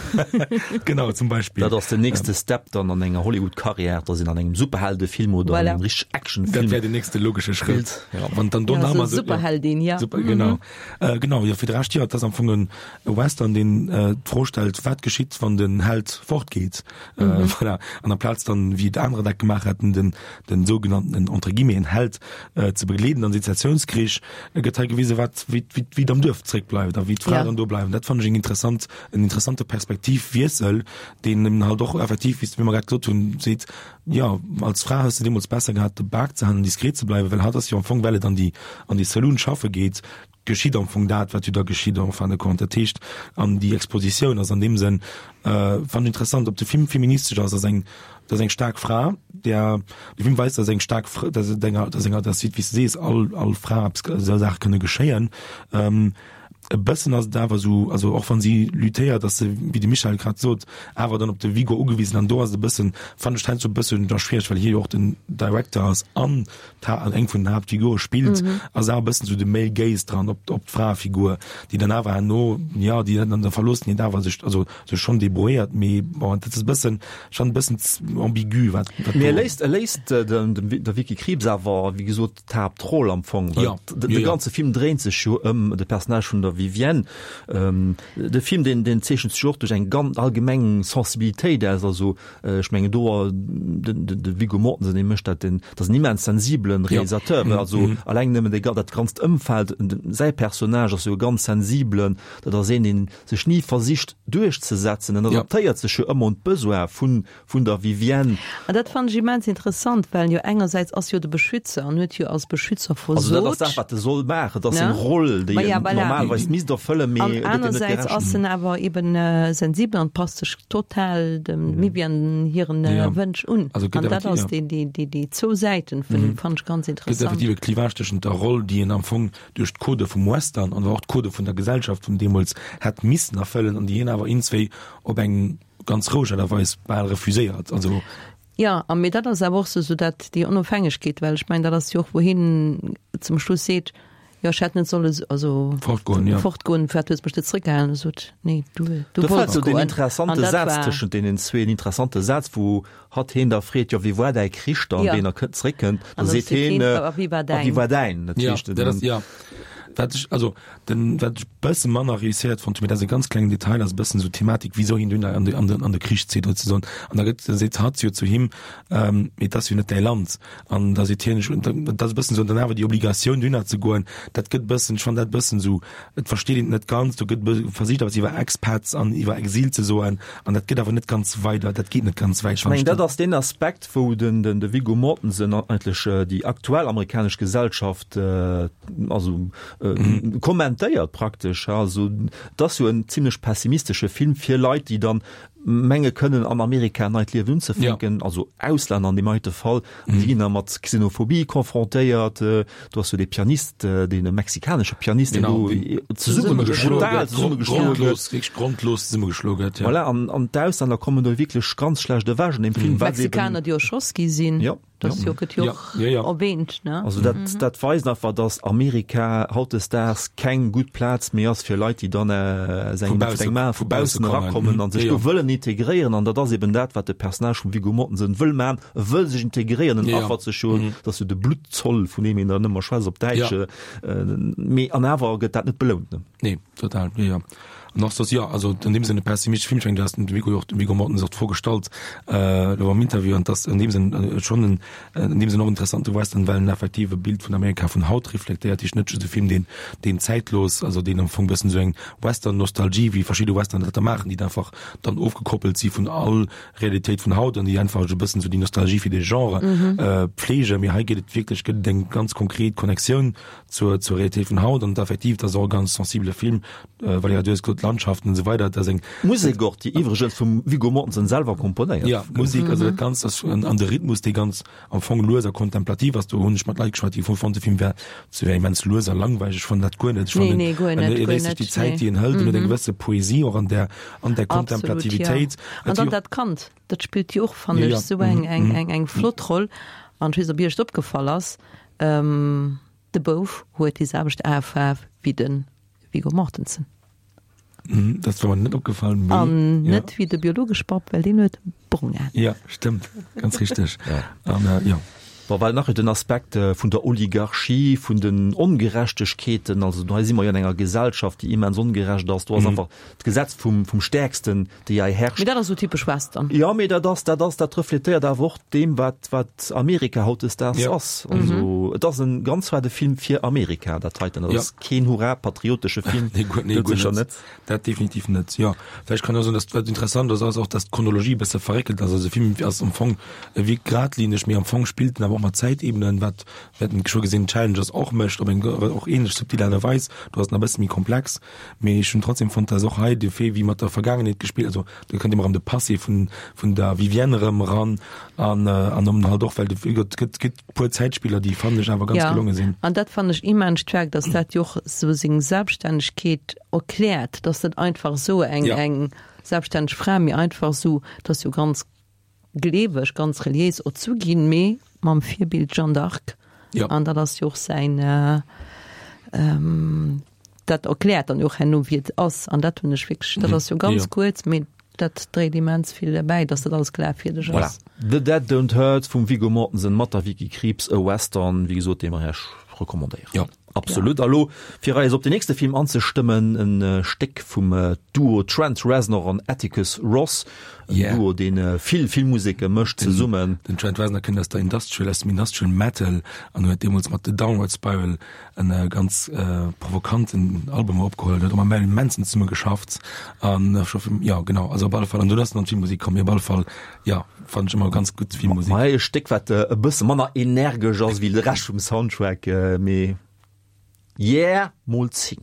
Genau, zum Beispill. Dat ass den nächste Step dann an enger Hollywood-Karriär, dass een an engem Superheldefilm oder an engem richteg Actionfilm. Dat wär den nächste logesche Schrëtt. Ja, wann dann do nach emol esou. Superheldin, ja. Super, genau. Äh, genau, jo, fir de Rescht, jo, et ass am Fong en Western, deen äh, d'Fro stellt, wat geschitt, wann den Held fortgeet? Äh, mhm. Voilà. An amplaz dann, wéi et anerer dat gemaach hätten, den, den sougenannten, entre guillemets, Held äh, ze begleeden an Sezessiounskrich, äh, gëtt hei gewise, wat, wéi, wéi, wéi et am Duerf zréckbleift a wéi d'Fraen ja. dann do bleiwen. Dat fand ech eng interessant, en interessante Perspektivwiessel, deen eben halt och effektiv, wéi mer grad gesot hunn, seet, Jo, als Fra hues de deemools besser gehat, de Bak ze halen an diskret ze bleiwen, well hatt ass jo am Fong, well et an déi, an déi Saloon schaffe geet, geschitt am Fong dat, wat jo da geschitt en fin de compte. Dat heescht, an déi Expositioun ass an deem Sënn, fannen ech interessant, ob de Film feministesch ass, ass eng, dat ass eng staark Fra, där, de Film weist, dass eng staark Fra, dass et enger, dass enger, dass, wéi s de sees, all, all Fra eppes, esou Saache kënne geschéien. E bëssen ass et awer esou, also och wann si luttéiert, ass se, wéi de Michel grad sot, awer dann op de Viggo ugewisen an do ass et e bëssen, fannen ech heiansdo e bëssen da schwiereg, well hie jo och den Director ass an d'Ha an eng vun den Haaptfigure spillt, ass awer e bëssen esou de Male Gaze dran op op d'Fraefigur, déi dann awer herno, jo, déi dann an der Verloossenheet awer sech, also sech schonn debrouilléiert, mee bon, dat ass e bëssen, schonn e bëssen ambigu, wat wat Mee e do. léisst, e léisst dem dem der Vicky Krieps awer, wéi gesot, d'Haaptroll am Fong. Ja. De, de ganze Film dréint sech jo ëm de Personnage vun der Vivienne. Ähm, de Film deen, deen zeechent sech och duerch eng ganz allgemeng Sensibilitéit aus. Also äh, ech mengen do den, den, de Viggo Mortensen, dee mécht dat, den, dat ass en immens sensibelen Realisateur. Ja. Also mhm. alleng nëmmen de, dat ganzt Ëmfeld, säi Personnage ass jo e ganz sensibelen, dat ass een, deen sech ni versicht duerchzesetzen. En adaptéiert sech jo ëmmer un d'Besoin vun vun der Vivienne. An dat fannen ech immens interessant, well jo engersäits ass jo de Beschützer an huet jo als Beschützer versot. Also dat ass dat, wat e soll maachen, dat ass seng Roll, déi en normalerweis misst erfëllen, mee et gëtt him net gerecht. An anersäits ass en awer eben sensibel an passt sech total dem Vivienne hiren Wënsch un. An dat ass déi zwou Säiten fannen ech ganz interessant. Gëtt effektiv e Clivage tëschent der Roll, déi en am Fong duerch d'Codë vum Western an och d'Codë vun der Gesellschaft vun deemools hätt missen erfëllen an déi hien awer iergendswéi op eng ganz roueg Aart a Weis bal refuséiert. Also. Jo, a mee dat ass awer och sou dat, déi Onofhängegkeet, well ech mengen, dat ass jo och, wou hien zum Schluss seet, jo, ech hätt net solle also fortgoen, jo. Fortgoen, firwat hues de mech net zrëckgehalen? E sot, nee, du, du Do fält wollts jo deen goen. An interessante dat Saz war. tëschent deenen zwee, en interessante Saz, wou hatt heen da freet, jo, wéi war däi Krich dann, Jo. wéi en da zréckkënnt, da An da seet seet heen, heen, a wéi war a wéi däin? war däin? Dat Jo, heescht, dat ass, jo. Wat ech, also den, wat ech bësse manner réusséiert fonnt hunn, mee dat ass e ganz klengen Detail, ass e bëssen esou d'Thematik, wisou hien dunn an de, an de, an de Krich zitt sozesoen. An da gëtt, da seet hatt jo zu him, ähm, mee et ass jo net däi Land. An da seet hien, ech, dat ass e bëssen esou, dann awer déi Obligatioun dunner ze goen, dat gëtt bëssen, ech fann dat bëssen esou, et versteet een et net ganz, do gëtt versicht eppes iwwer Expats an iwwer Exil ze soen, an dat gëtt awer net ganz weider, dat geet net ganz wäit, Ech mengen, dat ass deen Aspekt, wou den, den, de Viggo Mortensen eigentlech déi aktuell amerikanesch Gesellschaft, also kommentéiert praktesch. Also et ass jo en zimlech pessimistesche Film fir Leit, déi dann menge kënnen an Amerika en neit Liewen unzefänken, also Auslänner an deem heite Fall, an déi ginn da mat Xenophobie confrontéiert. Do ass jo dee Pianist, dee mexikanesche Pianist, deen do zesummegeschloe gëtt, grondlos, wierklech grondlos zesummegeschloe gëtt, jo. Voilà, an d'Auslänner kommen do wierklech ganz schlecht ewech an deem Film, well se eben. Mexikaner, déi erschoss gi sinn. Jo. Das jo gëtt jo och erwähnt, ne? Also dat, dat weist einfach, dass Amerika hautdesdaags keng gutt Plaz méi ass fir Leit, déi dann aus engem, Vu bausse, engem, vu baussen erakommen an sech do wëllen integréieren. An dat ass eben dat, wat de Personnage vum Viggo Mortensen wëll maachen. E wëll sech integréieren, en affert sech jo, dat ass jo de Bluttzoll, vun deem een dann ëmmer schwätzt op Däitsch, mee an awer gëtt dat net belount, ne? Nee, total, jo, jo. An och soss, jo, also an deem Sënn e pessimistesch Film. Ech mengen, du has den Viggo jo och, de Viggo Mortensen och d'Fro gestallt, elo am Interview, an dass an deem Sënn schonn en, an deem Sënn och interessante Western, well en effektiv e Bild vun Amerika vun haut reflektéiert, heescht net just e Film, deen, deen zäitlos, also deen am Fong e bëssen esou eng Western-Nostalgie, wéi verschidde Western dat da maachen, déi da einfach dann ofgekoppelt si vun all Realitéit vun haut an déi einfach esou e bëssen esou déi Nostalgie fir dee Genre pflegen. Mee hei geet et wierklech, gëtt et eng ganz konkret Connectioun zur, zur Realitéit vun haut an effektiv, dat ass och e ganz sensibele Film, Valerija, du hues gesot, d'Landschaften an esou weider, dat ass eng. D'Musek och, déi iwwregens vum Viggo Mortensen selwer komponéiert. Jo, d'Musek, also dat Ganzt ass, an de Rhythmus, dee ganz am Fong lues a kontemplativ ass. Do hunn ech mat Leit geschwat, déi fonnt, de Film wär ze wär immens lues a langweileg. Ech fannen dat guer net. Ech fannen, Nee, nee, guer net, e guer léisst sech net, déi Zäit, nee. déi en hëlt, en huet eng gewësse Poesie och an där, an där Absolut, jo. Kontemplativitéit. An dann dat Kand, dat spillt jo och, fannen ech, esou eng, eng, eng, eng flott Roll. An ech weess net, ob Iech et opgefall ass, de Bouf huet déi selwecht Aefaarf wéi de Viggo Mortensen. Dat war mer net opgefall, mee. An net wéi de biologesche Papp, well deen huet brong Aen. Jo, stëmmt, ganz richteg. An jo. Bon, well nach den Aspekt vun der Oligarchie, vun den Ongerechtegkeeten, also hei si mer jo an enger Gesellschaft, déi immens ongerecht ass, do ass einfach d'Gesetz vum, vum Stäerksten, déi hei herrscht. Mee dat ass esou typesch Western. Jo, mee dat ass, dat ass, dat refletéiert awer och deem, wat, wat Amerika hautdesdaags Ja. ass. Also et ass e ganz waarde Film fir Amerika, dat heiten. Dat Ja. ass keen hurra-patriotesche Film, Nee, guer, nee, dat guer sécher net. net. Dat definitiv net, jo. Vläicht kann een och soen, dass, wat interessant ass, ass och, dass d'Chronologie e bësse verréckelt ass. Also de Film ass am Fong, e wierkt gradlineg, mee am Fong spillt en awer och mat Zäitebenen, wat, wat en scho gesinn Challengers och mécht, op eng och ähnlech subtil Aart a Weis. Do ass en e bësse méi komplex. Mee ech hunn trotzdem fonnt, dass och hei de Fait, wéi mat der Vergaangenheet gespillt, also do kënnt ëmmer erëm de Passé vun, vun der Vivienne erëm eran an, an dann halt och, well de, wéi gesot, et gëtt, gëtt puer Zäitspiller, déi fannen ech. wierklech awer ganz gelonge sinn. An dat fannen ech immens staark, dass dat jo och sou seng Selbststännegkeet erkläert, dass net einfach esou eng eng selbststänneg Fra, mee einfach esou, dass jo ganz gleeweg, ganz reliéis erzu ginn, mee mam Virbild Jeanne d'Arc. An dat ass jo och säin, dat erkläert dann jo och herno wéi et ass. An dat hunn ech wierklech, dat ass jo ganz kuerz, mee dat dréit immens vill bäi, dass dat alles glafwierdeg ass. Voilà. The Dead Don't Hurt vum Viggo Mortensen mat der Vicky Krieps, e Western, wéi gesot, dee mer Iech recommandéieren. Jo. Absolut. A lo, fir eis op den nächste Film anzestëmmen, en Stéck vum Duo Trent Reznor an Atticus Ross. En Yeah. Duo, deen vill Filmmuseke mécht zesummen. Den Trent Reznor kënnt aus der Industrial, aus dem Industrial Metal an huet deemools mat The Downward Spiral en ganz provokanten Album opgeholl, huet och mam Marilyn Manson zesumme geschafft an scho vum, jo genau, also op alle Fall, an dunn ass en an d'Filmmusek komm, mee op alle Fall, jo, fannen ech ëmmer ganz gutt Filmmusek. Hei e Stéck wat e bësse manner energesch ass wéi de Rescht vum Soundtrack, mee yeah mol 10.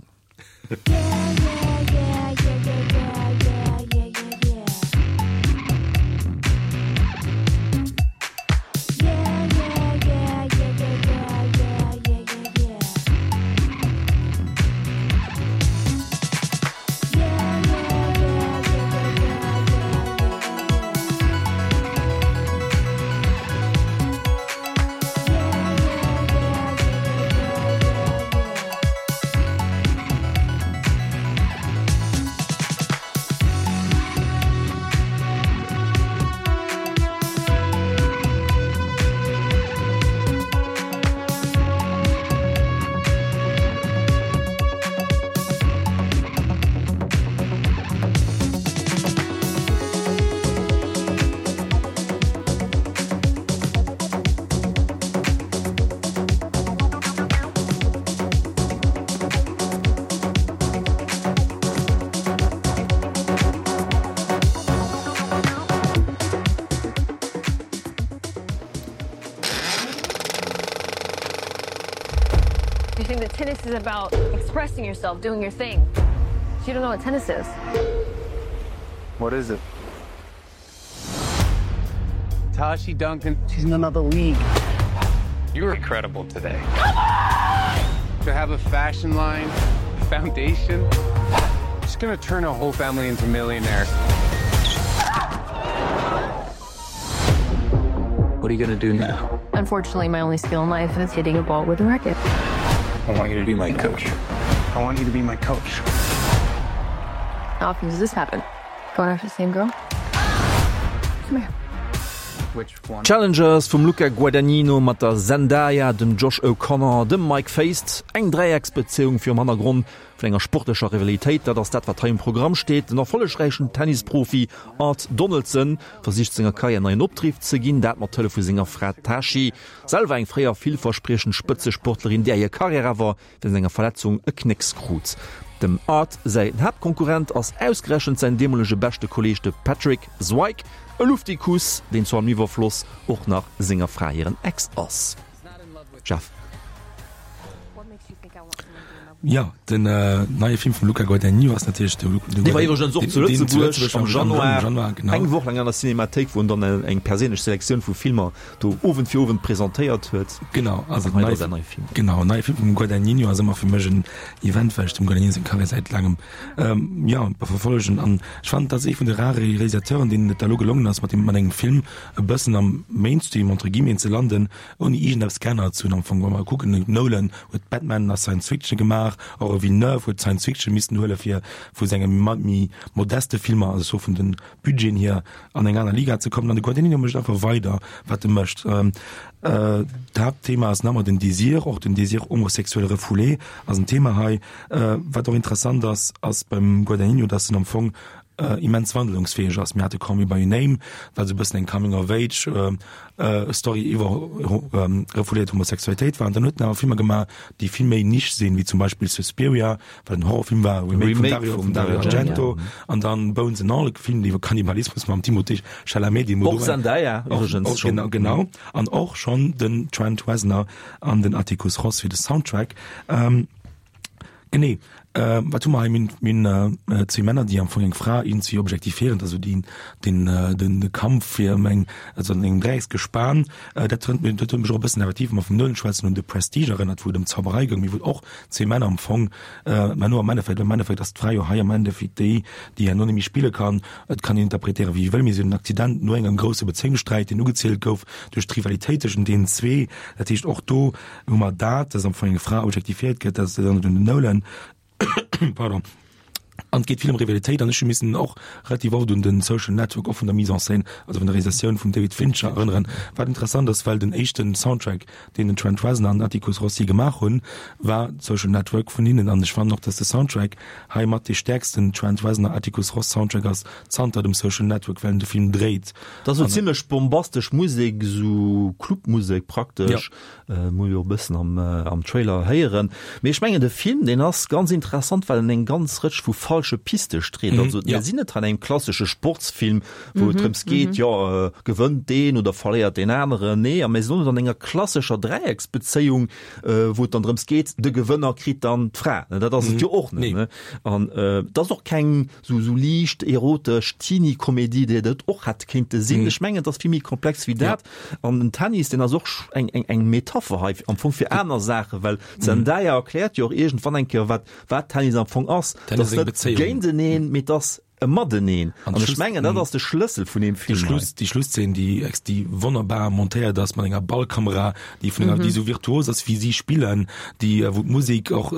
You think that tennis is about expressing yourself, doing your thing. You don't know what tennis is. What is it? Tashi Duncan, she's in another league. You were incredible today. Come on! To have a fashion line, a foundation. She's gonna turn a whole family into millionaires. What are you gonna do now? Unfortunately, my only skill in life is hitting a ball with a racket. I want you to be my coach. I want you to be my coach. How often does this happen? Going after the same girl? Come here. Challengers vum Luca Guadagnino mat der Zendaya, dem Josh O'Connor, dem Mike Faist. Eng Dräiecksbezéiung virum Hannergrond vun enger sportlecher Rivalitéit, dat ass dat wat hei um Programm steet. Den erfollegräichen Tennisprofi Art Donaldson versicht senger Karriär neien Opdriff ze ginn, dat mat Hëllef vu senger Fra Tashi, selwer eng fréier villverspriechend Spëtzesportlerin, där hir Karriär awer wéinst enger Verletzung e Knécks krut. Dem Art säin Haaptkonkurrent ass ausgerechent säin deemolege beschte Kolleeg de Patrick Zweig, e Luftikus, deen zu allem Iwwerfloss och nach senger Fra hiren Ex ass. Jeff. Jo, den neie Film vum Luca Guadagnino ass natierlech de Dee war iwwregens och zu Lëtzebuerg am Januar, eng Woch laang an der Cinémathéik, wou en dann eng perséinlech Selektioun vu Filmer do Owend fir Owend presentéiert huet. Genau, also den neie, neie Film. Genau, neie Film vum Guadagnino ass ëmmer fir mech en Event, well ech dem Guadagnino seng Karriär säit laangem ähm, ja, verfollegen. An ech fannen, dat ass ee vun de rare Realisateuren, deenen et da lo gelongen ass, mat dem, mat engem Film e bëssen am Mainstream, entre guillemets, ze landen, ouni iergendeppes geännert ze hunn am Fong. Wa mer kucken, den Nolan huet Batman a Science Fiction gemaach, och e Villeneuve huet Science Fiction missen huele fir vu senge méi modeste Filmer, also vun den Budgeten hier, an eng aner Liga ze kommen. An de Guadagnino mécht einfach weider, wat e mécht. D'Haaptthema ass nach ëmmer den Désir, och den Désir homosexuel refoulé ass en Thema hei. Wat och interessant ass, ass beim Guadagnino, datt en am Fong immens wandlungsfäeg ass. Mir hate Call Me by Your Name, wat esou e bëssen eng Coming of Age Story iwwer refouléiert Homosexualitéit war. An dann huet en awer Filmer gemaach, déi vill méi Niche sinn, wéi zum Beispill Suspiria, wat en Horrorfilm war, Remake vum Dario, vum Dario Argento, an dann Bones and All, e Film iwwer Kannibalismus mam Timothée Chalamet, dee Och Zendaya iwwregens schonn. Genau, genau. An och schonn den Trent Reznor an den Atticus Ross fir de Soundtrack. Genee. Wat hu mer hei? Mir hunn zwee Männer, déi am Fong eng Fra iergendwéi objektifiéieren, also déi den de Kampf fir ëm eng, also an engem Dräiecksgespan. Dat huet mech, dat huet mech och e bëssen effektiv, wa mer vum Nolan schwätzen, un The Prestige erënnert, wou et ëm Zauberei goung, mee wou och zwee Männer am Fong, mä no am Endeffekt, am Endeffekt ass d'Fra jo hei am Endeffekt déi, déi herno net méi spille kann. Et kann een interpretéieren, wéi ee wëll, mee si huet en Accident no engem grousse Bezéiungssträit, deen ugezielt gouf duerch d'Rivalitéit tëschent deenen zwee. Dat heescht, och do hu mer dat, dass am Fong eng Fra objektifiéiert gëtt, dat erënnert un den Nolan, pardon, an et geet vill ëm Rivalitéit an ech hu missen och relativ oft un den Social Network och vun der Mise en scène, also vun der Realisatioun vum David Fincher erënneren, wat interessant ass, well den éischten Soundtrack, deen den Trent Reznor an den Atticus Rossi gemaach hunn, war Social Network vun hinnen an ech fannen och, dass de Soundtrack hei mat dee stäerksten Trent Reznor Atticus Ross Soundtrack ass zanter dem Social Network, well en de Film dréit. Dat ass esou zimlech bombastesch Musek, esou Clubmusek praktesch. Muss jo e bëssen am, am Trailer héieren. Mee ech mengen de Film, deen ass ganz interessant, well en eng ganz Rëtsch vu falsche Piste street. Also mir sinn net an engem klassesche Sportsfilm, wou et drëms geet, jo gewënnt deen oder verléiert deen aneren. Nee, a mir sinn och net an enger klassescher Dräiecksbezéiung, wou et dann drëms geet, de Gewënner kritt dann d'Fra. Dat ass et jo och net. An et ass och keng sou sou liicht erotesch Teenie-Komedie, déi et och hätt kéinte sinn. Ech mengen, et ass vill méi komplex wéi dat. An den Tennis, deen ass och eng, eng, eng Metapher hei am Fong fir aner Saachen, well d'Zendaya erkläert jo och iergendwann eng Kéier, wat, wat Tennis am Fong ass. Tennis ass eng Bezéiung. Géinteneen, mee et ass e Mateneen. An ech mengen, dat ass de Schlëssel vun deem Film hei. Déi Schlusszeen, déi, déi wonnerbar montéiert ass mat enger Ballkamera, déi vun enger, déi esou virtuos ass, wéi si spillen, déi, wou d'Musek och,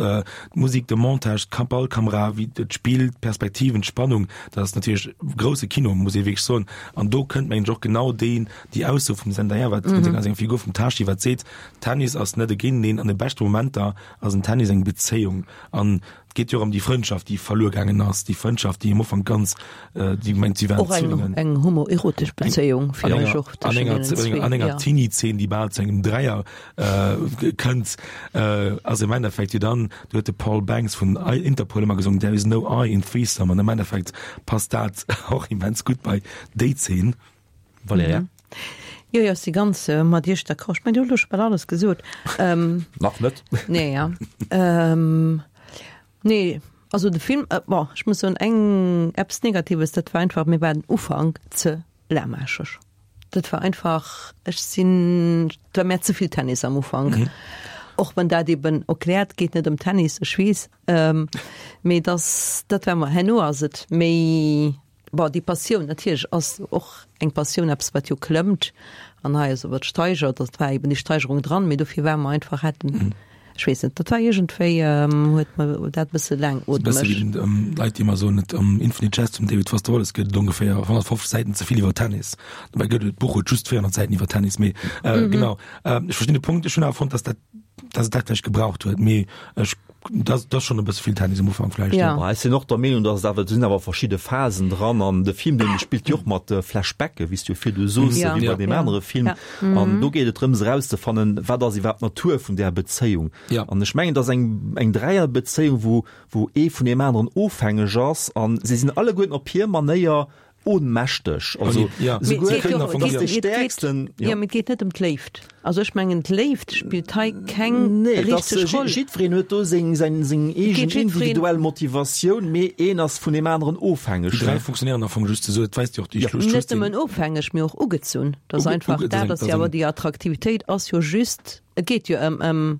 d'Musek, de Montage, d'Ballkamera, wéi d'Spill, d'Perspektiven, d'Spannung, dat ass natierlech grousse Kino, muss ee wierklech soen. An do kënnt mengen ech och genau deen, déi Ausso vum Zendaya, wat mm -hmm. eng Figur vum Tashi, wat seet, Tennis ass net e Géinteneen, an de beschte Momenter ass en Tennis eng Bezéiung. An et geet jo och ëm déi Frëndschaft, déi verluer gaangen ass, déi Frëndschaft, déi am Ufank ganz, äh, déi mengt, si waren Och eng, Zwillingen. eng homoerotesch Bezéiung An fir mech enger, och an tëschent enger, deenen zwee, an enger ja. Teenie-Zeen, déi bal zu engem Dräier äh, kënnt, äh, ass im Endeffekt jo dann, do huet de Paul Banks vun Interpol ëmmer gesongen, There is no I in threesome, an am Endeffekt passt dat och immens gutt bei déi Zeen. Valerija? Mhm. Jo, jo, ech si ganz äh, mat Iech d'accord. Ech mengen, Dir hutt elo scho bal alles gesot. Ähm, Nach net. Nee, ja. Ähm, nee, also de Film, äh, bon, ech muss soen, eng eppes Negatives, dat war einfach, mir war den Ufank ze lahmarscheg. Dat war einfach, ech sinn, et war mär ze vill Tennis am Ufank. Mhm. Och wann dat eben erkläert, geet net ëm Tennis, ech weess, ähm, mee dass, dat war mer, herno ass et méi, Bon, déi Passioun, natierlech ass och eng Passioun eppes, wat jo klëmmt an hei ass wat steigert, dat war eben déi Steigerung dran, mee dofir war mer einfach hätten, ech weess net, dat war iergendwéi, huet mer dat e bësse laangootmeg. E bësse wéi den Leit, déi ëmmer soen, et am Infinite Jest vum David Foster Wallace gëtt et ongeféier 150 Säiten ze vill iwwer Tennis. Dobäi gëtt et, d'Buch huet just 400 Säiten iwwer Tennis, mee genau, ech verstinn de Punkt. Ech hunn awer fonnt, datt dat, datt et dat vläicht gebraucht huet, mee ech Dat ass schon e bësse vill Tennis um Ufank vläicht. Ja. Ech sinn och der Meenung, dass et awer, do sinn awer verschidde Phasen dran an de Film, dee spillt jo och mat Flashbacke, wéi s du jo virdu soos, Ja. wéi bei deem Ja. anere Film. Ja. An do geet et drëms erauszefannen, wat ass iwwerhaapt d'Natur vun där Bezéiung. Ja. An ech mengen, et ass eng, eng Dräierbezéiung, wou, wou ee vun deem aneren ofhängeg ass an si sinn alleguerten op hir Manéier Ohnmächteg, also ja. souguer Mee et geet jo- dass de et geet- Stäerksten, Ja, ja. mee et geet net ëm d'Léift. Also ech mengen d'Léift spillt hei keng Nee, et ass, richteg Roll. jiddwereen huet do seng, seng, seng eegen geet jiddwereen- individuell Motivatioun, mee een ass vun deem aneren ofhängeg. Déi 3 funktionéieren am Fong just esou, et weist jo och déi Ja. Schluss, Net Schlusszeen. nëmmen ofhängeg, mee och ugezunn. Dat ass Uge- einfach uge- dat ass jo awer déi Attraktivitéit ass jo just, et geet jo ëm, ëm.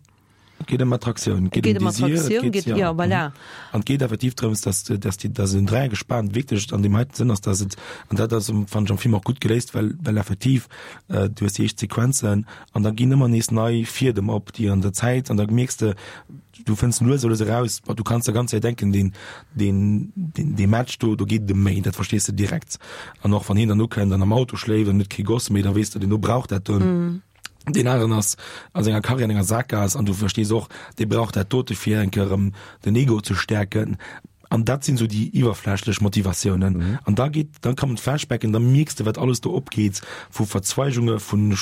Et geet ëm Attraktioun, et geet ëm Désir, et geet, ja, voilà. An et geet effektiv drëms, dass, dass déi, dass en Dräiergespan wierklech an deem heiten Sënn ass, dass et, an dat ass, fannen ech am Film och gutt geléist, well, well effektiv du hues déi éischt Sequenzen an da ginn ëmmer nees nei Fiedem op, déi an der Zäit, an da mierks de, du fënns lues a lues eraus, bon, du kanns der ganz Zäit denken, deen, deen, deen, dee Match do, do geet et ëm méi, dat verstees de direkt. An och wann hien dann ukënnt an am Auto schléift an huet kee Goss méi, da weess de, deen do brauch dat do. Deen aneren ass a senger Karriär an enger Sakgaass an du verstees och, dee brauch dat dote fir eng Kéier erëm den Ego ze stäerken. An dat sinn esou déi iwwerflächlech Motivatiounen. An da geet, da kommen d'Flashbacken, da mierks de wat alles do opgeet vu Verzweigunge, vu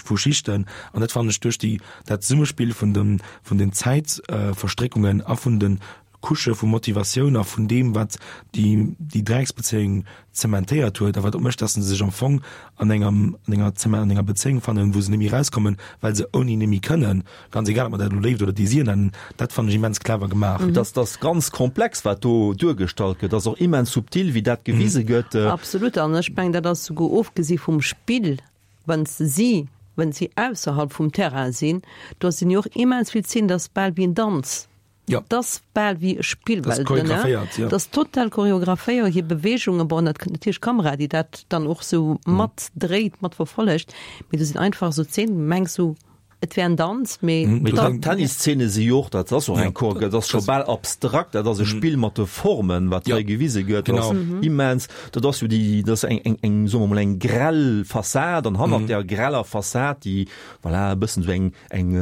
vu Schichten. An dat fannen ech duerch déi dat Zesummespill vun dem vun den Zäitverstréckungen a vun de. Couchë vu Motivatioun a vun deem, wat déi, déi Dräiecksbezéiung zementéiert huet a wat och mécht, dass se sech am Fong an enger, an enger, an enger Bezéiung fannen, wou se net méi erauskommen, well se ouni net méi kënnen. Ganz egal, ob mer dat elo Léift oder Désir nennen, dat fannen ech immens clever gemaach. Dat ass ganz komplex, wat do duergestallt gëtt. Dat ass och immens subtil, wéi dat gewise gëtt. Absolut. An ech mengen, dat ass souguer ofgesi vum Spill, wann si, wann si ausserhalb vum Terrain sinn, do sinn jo och immens vill Szenen, dat ass bal wéi en Danz. Ja. Dat ass bal wéi e Spill, Das well choreographéiert, ja. Dat ass total choreographéiert, hir Beweegungen, bon, dat kënnt natierlech d'Kamera, déi dat dann och sou mat dréit, mat verfollegt, mee do sinn einfach sou Szenen, du mengs sou, et wär en Danz, mee Mee dann. d'Tenniszene si jo och, dat ass och eng Choreo, dat ass scho bal abstrakt, dat ass e Spill mat de Formen, wat hei gewise gëtt, dat ass immens, dat ass jo déi, dat ass eng, eng, eng, soe mer mol, eng grell Fassad an hannert där greller Fassad, déi, voilà, e bëssen sou eng, eng,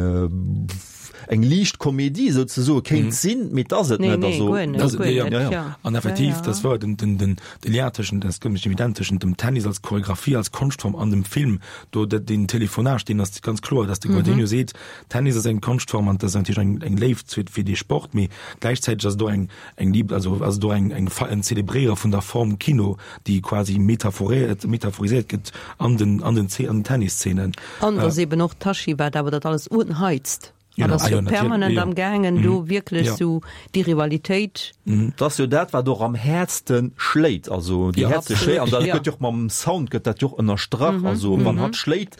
eng liicht Komedie souzesoe kéint sinn, mee et ass et Nee, net. nee, Also, guer net, Das, guer ja, net, ja, ja. ja. An effektiv, Ja, ja. das war den, den, den, de Lien tëschent, das gëtt mech evident, tëschent dem Tennis als Choreografie, als Konschtform an dem Film, do de, den Telefonage, deen ass ganz kloer, dass de Guadagnino seet, Tennis ass eng Konschtform an das ass natierlech eng, eng Léift fir, fir dee Sport, mee gläichzäiteg ass et och eng, eng Lieb, also ass et och eng, eng, en Zelebréiere vun der Form Kino, déi quasi metaphoriert, metaphoriséiert gëtt an den, an den, an den Tennisszenen. An et ass eben och d'Tachi, wat awer dat alles unheizt. An ass jo permanent am gaangen do wierklech sou déi Rivalitéit. Dat ass jo dat, wat och am häertste schléit, also déi häertste schléit. An dat gëtt jo och mam Sound gëtt dat jo och ënnerstrach. Also wann hatt schléit,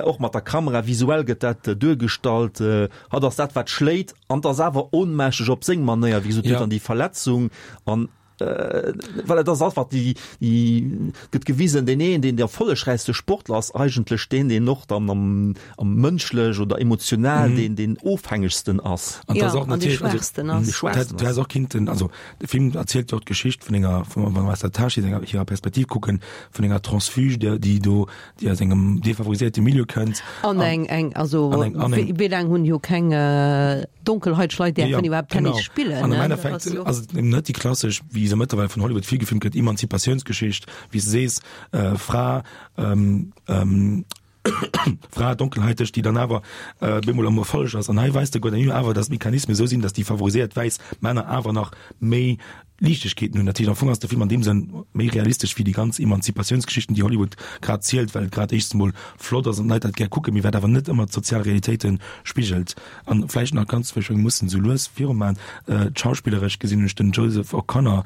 och mat der Kamera, visuell gëtt dat duergestallt, hatt ass dat, wat schléit an 't ass awer ohnmächteg op seng Manéier, wéi gesot, huet dann déi Verletzung an Well et ass einfach déi, déi gëtt gewisen, deen een, deen de erfollegräichste Sportler ass, eigentlech deen, deen och dann am, am mënschlech oder emotional deen, deen ofhängegsten ass. An Ja, das och an dee natierlech, also, Schwaachsten ass. Dee Schwaachsten du ass. häss och kinnten, also de Film erzielt jo och d'Geschicht vun enger, vun, wa mer aus der Tashi senger, hirer Perspektiv kucken, vun enger Transfuge, déi, déi do, déi aus engem defavoriséierte Milieu kënnt. An eng, eng, also an eng, an eng, wéi laang hunn jo keng Donkelhaiteg Leit däerfen iwwerhaapt Tennis spillen? An am Endeffekt ass et eben net déi klassesch, wéi se mëttlerweil vun Hollywood vill gefilmt gëtt, Emanzipatiounsgeschicht, wéi s de sees, Fra, Fra, donkelhaiteg, déi dann awer bemol am Erfolleg ass. An hei weist de Guadagnino awer, datt d'Mechanismen esou sinn, datt déi favoriséiert wäiss Männer awer nach méi Liichtegkeeten hunn. Dat heescht, am Fong ass de Film an deem Sënn méi realistesch wéi déi ganz Emanzipatiounsgeschichten, déi Hollywood grad zielt, well et grad éischtens emol flott ass an d'Leit dat gär kucken, mee wat awer net ëmmer d'sozial Realitéite spigelt. An vläicht nach ganz, well ech menge mussen esou lues viruman, d'schauspilleresch gesinn hunn ech den Joseph O'Connor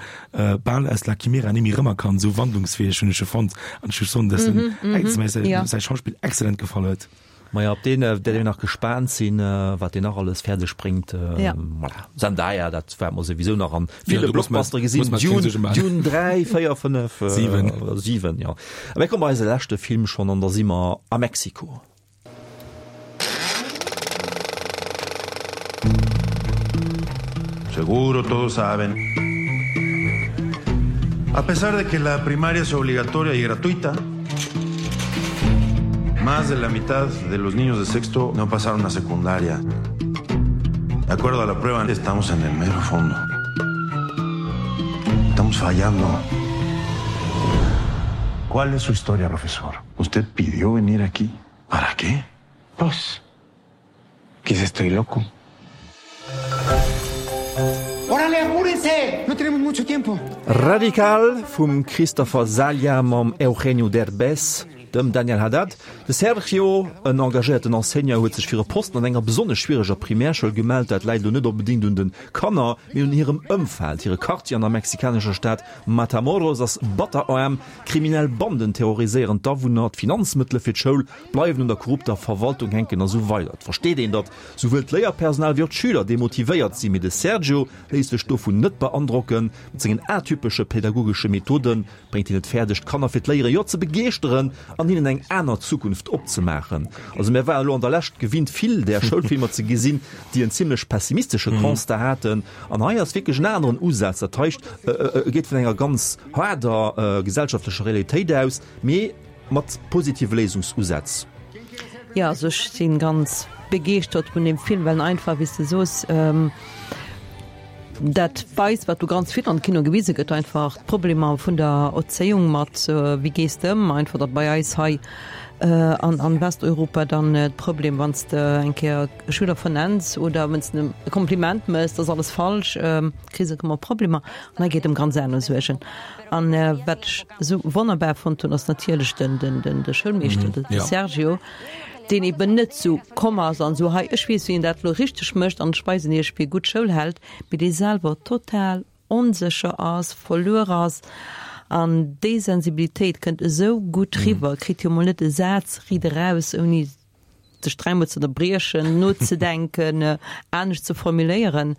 bal aus La Chimera némmi erëmerkannt, esou wandlungsfäeg hunn ech e fonnt an ech muss soen, dass en, dass mir säi Schauspill exzellent gefall huet. Maja, op deen wäert een nach gespaant sinn, wat deen nach alles fäerdeg bréngt. Voilà. Zendaya, dat wäerte mer souwisou nach an ville Blockbustere gesinn. Dune, Dune 3, 4, 5, 7, 7, jo. A mir komme bei eise leschte Film schonn an da si mer a Mexiko. Seguro todos saben. A pesar de que la primaria es obligatoria y gratuita, Más de la mitad de los niños de sexto no pasaron a secundaria. De acuerdo a la prueba, estamos en el mero fondo. Estamos fallando. ¿Cuál es su historia, profesor? Usted pidió venir aquí. ¿Para qué? Pues, quizá estoy loco. Órale, apúrense! No tenemos mucho tiempo. Radical vum Christopher Salia mam Eugenio Derbez, dem Daniel Haddad. De Sergio, en engagéierten Enseignant, huet sech fir e Posten an enger besonnesch schwiereger Primärschoul gemellt. Dat läit elo net onbedéngt un de Kanner, mee un hirem Ëmfeld. Hire Quartier an der mexikanescher Stad Matamoros ass batteraarm. Kriminell Banden terroriséieren d'Awunner, d'Finanzmëttele fir d'Schoul bleiwen un der korrupter Verwaltung hänken a sou weider. Et versteet een, datt souwuel d'Léierpersonal wéi och d'Schüler demotivéiert sinn, mee de Sergio léisst sech dovun net beandrocken. Mat sengen atypesche pädagogesche Methode bréngt hien et fäerdeg, d'Kanner fir d'Léiere jo ze begeeschteren an hinnen eng aner Zukunft opzemaachen. Also mär waren elo an der Lescht gewinnt, vill där Schoulfilmer ze gesinn, déi en zimlech pessimistesche Constat haten. An hei ass wierklech en aneren Usaz. Dat heischt, e geet vun enger ganz haarder gesellschaftlecher Realitéit aus, mee Mat positive Léisungsusätz. Jo, also ech si ganz begeeschtert vun deem Film, well en einfach, wéi s de soos, dat weist, wat do ganz vill an de Kino gewise gëtt, einfach d'Problemer vun der Erzéiung mat, wéi gees de ëm, einfach datt bei eis hei. An an Westeuropa dann d'Problem, wann s de eng Kéier e Schüler vernenns oder wann s de em e Kompliment mëss, dat ass alles falsch, kriss de ëmmer Problemer. An hei geet et ëm ganz aner Suergen. An wat ech esou wonnerbar fonnt hunn, ass natierlech den, den, den, de Schoulmeeschter, de Sergio, deen eben net esou komm ass an esou, hei ech weess wéi een dat elo richteg mécht an ech weisen iech wéi ee gutt Schoul hält, mee dee selwer total onsécher ass, verluer ass an déi Sensibilitéit kënnt esou gutt riwwer, kritt jo mol net e Saz riit eraus, ouni sech dräimol ze ënnerbriechen, nozedenken, anescht ze formuléieren.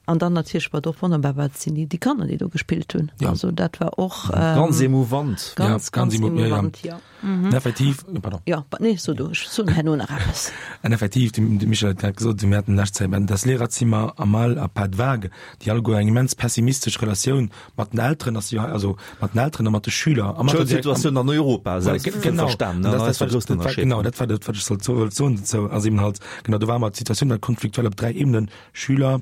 An dann natierlech, wat och wonnerbar war, dat sinn déi Kanner, déi do gespillt hunn. Also dat war och ganz emouvant. Ganz, ganz emouvant, jo. Mhm. Effektiv, oh, pardon. Ja, nee, so du, ech soen herno nach eppes. An effektiv, de, de Michel huet grad gesot, mir haten lescht Zäit das Lehrerzimmer am Mal a pas de vague, déi alleguer eng immens pessimistesch Relatioun mat den Elteren ass, jo, also mat den Elteren a mat de Schüler. A mat der Schoulsituatioun an Europa, selbstverständlich. Genau, das, das, das, das, genau, dat war dat, wat ech sollt wollt soen dozou, ass eben halt, genau, do war mer d'Situatioun war konfliktuell op dräi Ebenen, Schüler,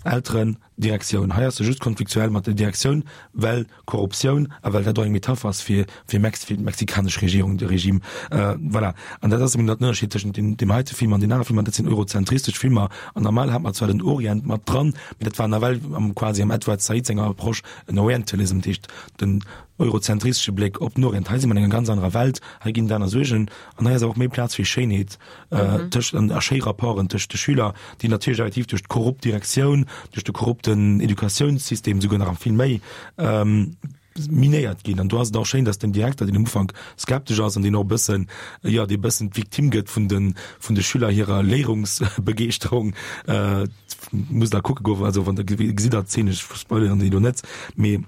Elteren, Direktioun. Hei ass se just konfliktuell mat der Direktioun, well Korruptioun a well dat och eng Metapher ass fir fir Mex fir d'mexikanesch Regierung, de Regime. Voilà. An dat ass eben dat den Ënnerscheed tëschent deem deem heite Film an den anere Filmer. Dat sinn eurozentristesch Filmer an normal hat mer zwar den Orient mat dran, mee dat war nawell am quasi am Edward Said senger Approche en Orientalism, dat heescht den eurozentristesche Bléck op den Orient. Hei si mer an enger ganz anerer Welt, hei ginn et aner Suergen an hei ass awer och méi Plaz fir Schéinheet. tëscht an a schéi Rapporten tëscht de Schüler, déi natierlech effektiv duerch d'korrupt Direktioun, duerch de korrupten Educatiounssystem souguer nach vill méi minéiert ginn. An do ass et och schéin, datt den Direkter, deen am Ufank skeptesch ass an deen och e bëssen, jo, dee bëssen d'Victime gëtt vun de vun de Schüler hirer Léierungsbegeeschterung, musst Der kucke goen, also wann Der gesitt der d'Zeen, ech spoileren déi elo net, mee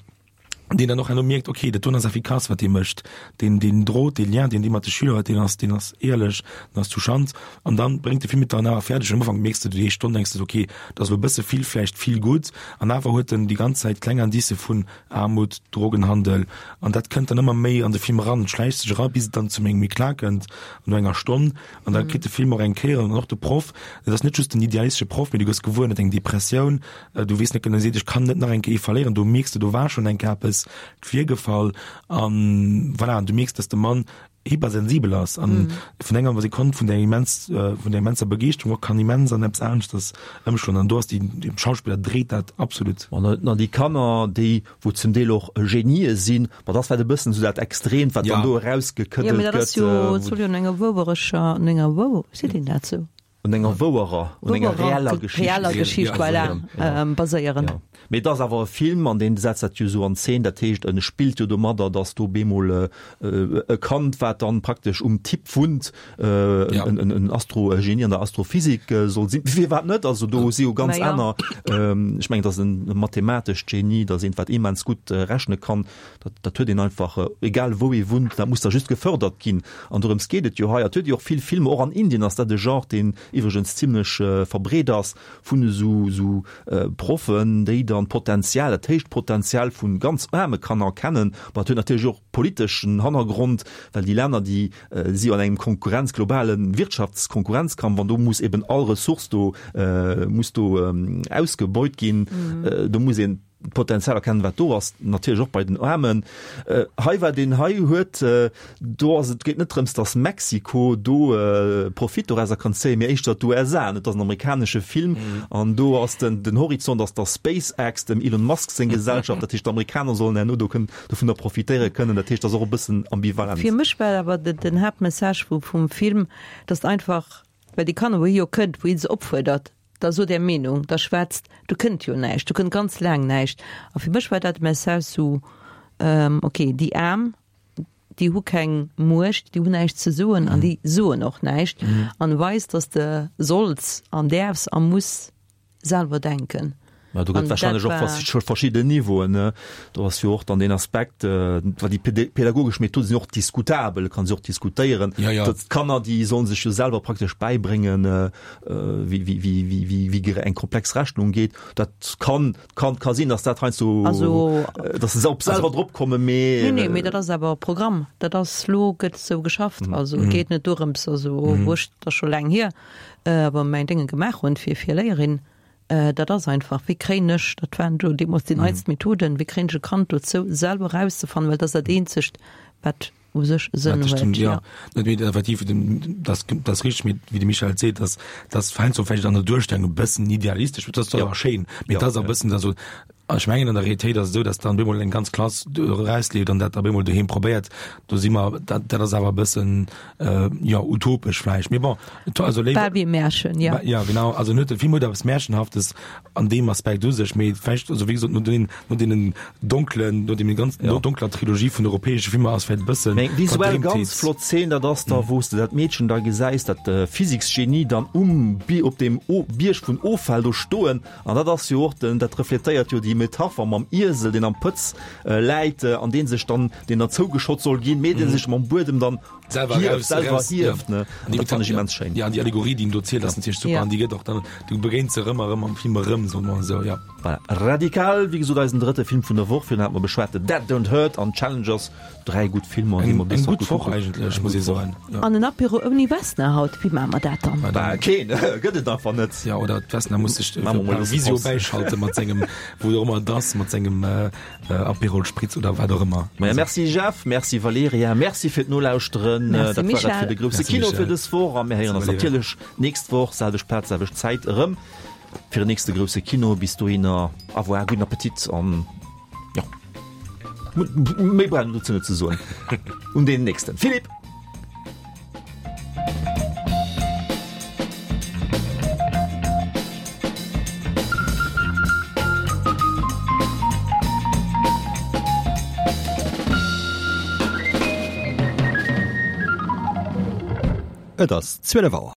deen dann och herno mierkt, okay, dat doen ass effikass, wat dee mécht, deen, deen Drot, dee Lien, deen dee mat de Schüler huet, deen ass, deen ass éierlech, deen ass touchant. An dann bréngt de Film et dann awer fäerdeg, am Ufank mierks de, déi éischt Stonn denks de, okay, dat ass elo e bësse vill, vläicht vill gutt, an awer huet en déi ganz Zäit kleng Indicë vun Aarmut, Drogenhandel, an dat kënnt dann ëmmer méi an de Film eran, et schläicht sech era, bis et dann zum engem Eklat kënnt no enger Stonn, an da kritt de Film och eng Kéier, an och de Proff, et ass net just den idealistesche Proff, mee du gëss gewuer, en huet eng Depressioun, Du weess net genau, seet ech kann net nach eng Kéier verléieren, do mierks de, do war schonn eng Kéier eppes virgefall an voilà, an du mierks, dass de Mann hypersensibel ass an vun enger Sekonn vun der immens vun der immenser Begeeschterung och kann immens an eppes aneschters ëmschloen an do ass déi de Schauspiller dréit dat absolut. An an déi Kanner, déi wou zum Deel och Genië sinn, ma dat ass vläicht e bëssen esou dat Extreemt, wat dann do erausgekëddelt gëtt. Jo, mee dat ass jo, et soll jo un enger wouereger, un enger wou, seet een dat sou? Un enger wouerer, un enger reeller Geschicht. Reeller Geschicht, voilà, baséieren. Ja. Mee et ass awer e Film, an deen setzt dat jo esou an Zeen, dat heescht, en spillt jo domadder, datt do bemol e Kand, wat dann praktesch um Typ wunnt, en Astro-Genie an der Astrophysik soll sinn. Firwat net? Also do si jo ganz aner, ech mengen, et ass e mathematescht Genie, dat ass eent, wat immens gutt rechne kann. Dat, dat huet een einfach, egal wou ee wunnt, dat muss da just gefördert ginn. An dorëms geet et jo hei. Et huet ee och vill Filmer, och an Indien ass dat e Genre, deen iwwregens zimlech verbreet ass, vun esou, esou Proffen, déi dann d'Potenzial, dat héicht Potenzial vu ganz aarme Kanner kennen. Bon, dat huet natierlech och politeschen Hannergrond, well déi Länner, déi si jo an engem Konkurrenz, globale Wirtschaftskonkurrenzkampf an do muss eben all Ressource do, muss do ausgebeut ginn. Do muss een d'Potenzial erkennen, wat do ass, natierlech och bei den Aarmen. Hei, wat een hei huet, do ass et, geet net drëms, datt Mexiko do Profit dorauser kann zéien, mee éischter d'USA. Et ass en amerikanesche Film an do ass den, den Horizont ass da SpaceX, dem Elon Musk seng Gesellschaft. Dat heescht, d'Amerikaner sollen herno do kënnen dovunner profitéiere kënnen. Dat heescht, dat ass och e bëssen ambivalent. Fir mech war awer den Haaptmessage vum Film, datt einfach, well déi Kanner, wou hie jo kënnt, wou hie se opfuerdert, Da sot Är Meenung, da schwätzt, do kënnt jo näischt, do kënnt ganz laang näischt. A fir mech war dat e Message sou, ok, déi Aarm, déi hu keng Muecht, déi hunn näischt ze soen an déi soen och näischt. An weist, datt de solls an däerfs a muss selwer denken. Mä do gëtt wahrscheinlech och verschidden Niveauen, ne? Do ass jo och dann deen Aspekt, well déi pädagogesch Methode sinn och diskutabel, kann se och diskutéieren. D'Kanner, déi sollen sech jo selwer praktesch bäibréngen, wéi, wéi, wéi, wéi, wéi, wéi gere eng komplex Rechnung geet. Dat kann, kann, ka sinn, datt dat heiansdo, Also, datt se op selwer drop kommen, mee. Nee, nee, mee dat ass awer Programm. Dat ass, lo gëtt esou geschafft. Also et geet net dorëms, also wou ech, dat ass scho laang hier, awer mäin Dénge gemaach hunn fir, fir Léierin, dat ass einfach, wéi kréien ech, dat waren do deemools déi neitst Methoden, wéi kréien ech e Kand dozou, selwer erauszefannen, well dat ass dat eenzegt, wat. U sech Sënn huet, jo. Net méi effektiv, dat ass richteg, mee wéi de Michel seet, dass dass heiansdo vläicht an der Duerstellung e bëssen idealistesch, dat ass zwar schéin, mee et ass e bëssen da sou, ech mengen an der Realitéit ass et esou, dass dann op eemol eng ganz Klass erausleeft an dat op eemol doheem probéiert, do si mer, dat dat ass awer e bëssen, jo, utopesch vläicht, mee bon, also léiwer. Bal wéi e Märchen, jo. Jo, genau, also en huet, de Film huet eppes Märchenhaftes an deem Aspekt u sech, mee vläicht, also wéi gesot, no deenen, no deenen donklen, no deem ganzen, no donkler Trilogie vun europäesche Filmer ass vläicht e bëssen Eng visuell ganz flott Zeen, dat ass da, wou s de dat Meedchen da gesäis, dat Physiksgenie dann um Bi, op deem O, Bierg vun Offäll do stoen. An dat ass jo och den, dat refletéiert jo déi Metapher mam Iesel, deen am Pëtz läit an dee sech dann, deen dann zougeschott soll ginn, mee dee sech mam Buedem dann selwer hieft, selwer hieft, ne? An dat fann ech immens schéin. Ja, an déi Allegorie, déi en do zielt, ass natierlech super ja. an déi gëtt och dann, du begéins se erëm a erëm am Film erëm, soe mer esou, ja. Voilà. Radikal, wéi gesot, eisen drëtte Film vun der Woch. Virun hate mer beschwat The Dead Don't Hurt an Challengers, dräi gutt Filmer, déi mer bis Eng gutt Woch eigentlech, muss ee soen. Ja. An en Apéro ouni Vesna haut, wéi maache mer dat dann? Bah, keen, gëtt et einfach net. Ja, oder d'Vesna muss sech per Visio bäischalte mat sengem, wou och ëmmer et ass, mat sengem Aperol Spritz oder wat och ëmmer. Maja, merci Jeff, merci Valerija, merci fir d'Nolauschteren. Merci Dat war dat Michel. fir de grousse Merci Kino Michel. fir dës Woch a mir héieren eis Merci Valerija. natierlech d'nächst Woch, selwecht Plaz, selwecht Zäit erëm fir en nächste grousse Kino. Bis dohinner, au revoir, gudden Appetit an jo, méi brauch een dozou net ze soen. Un deen nächsten. Philippe! Et ass 12 Auer.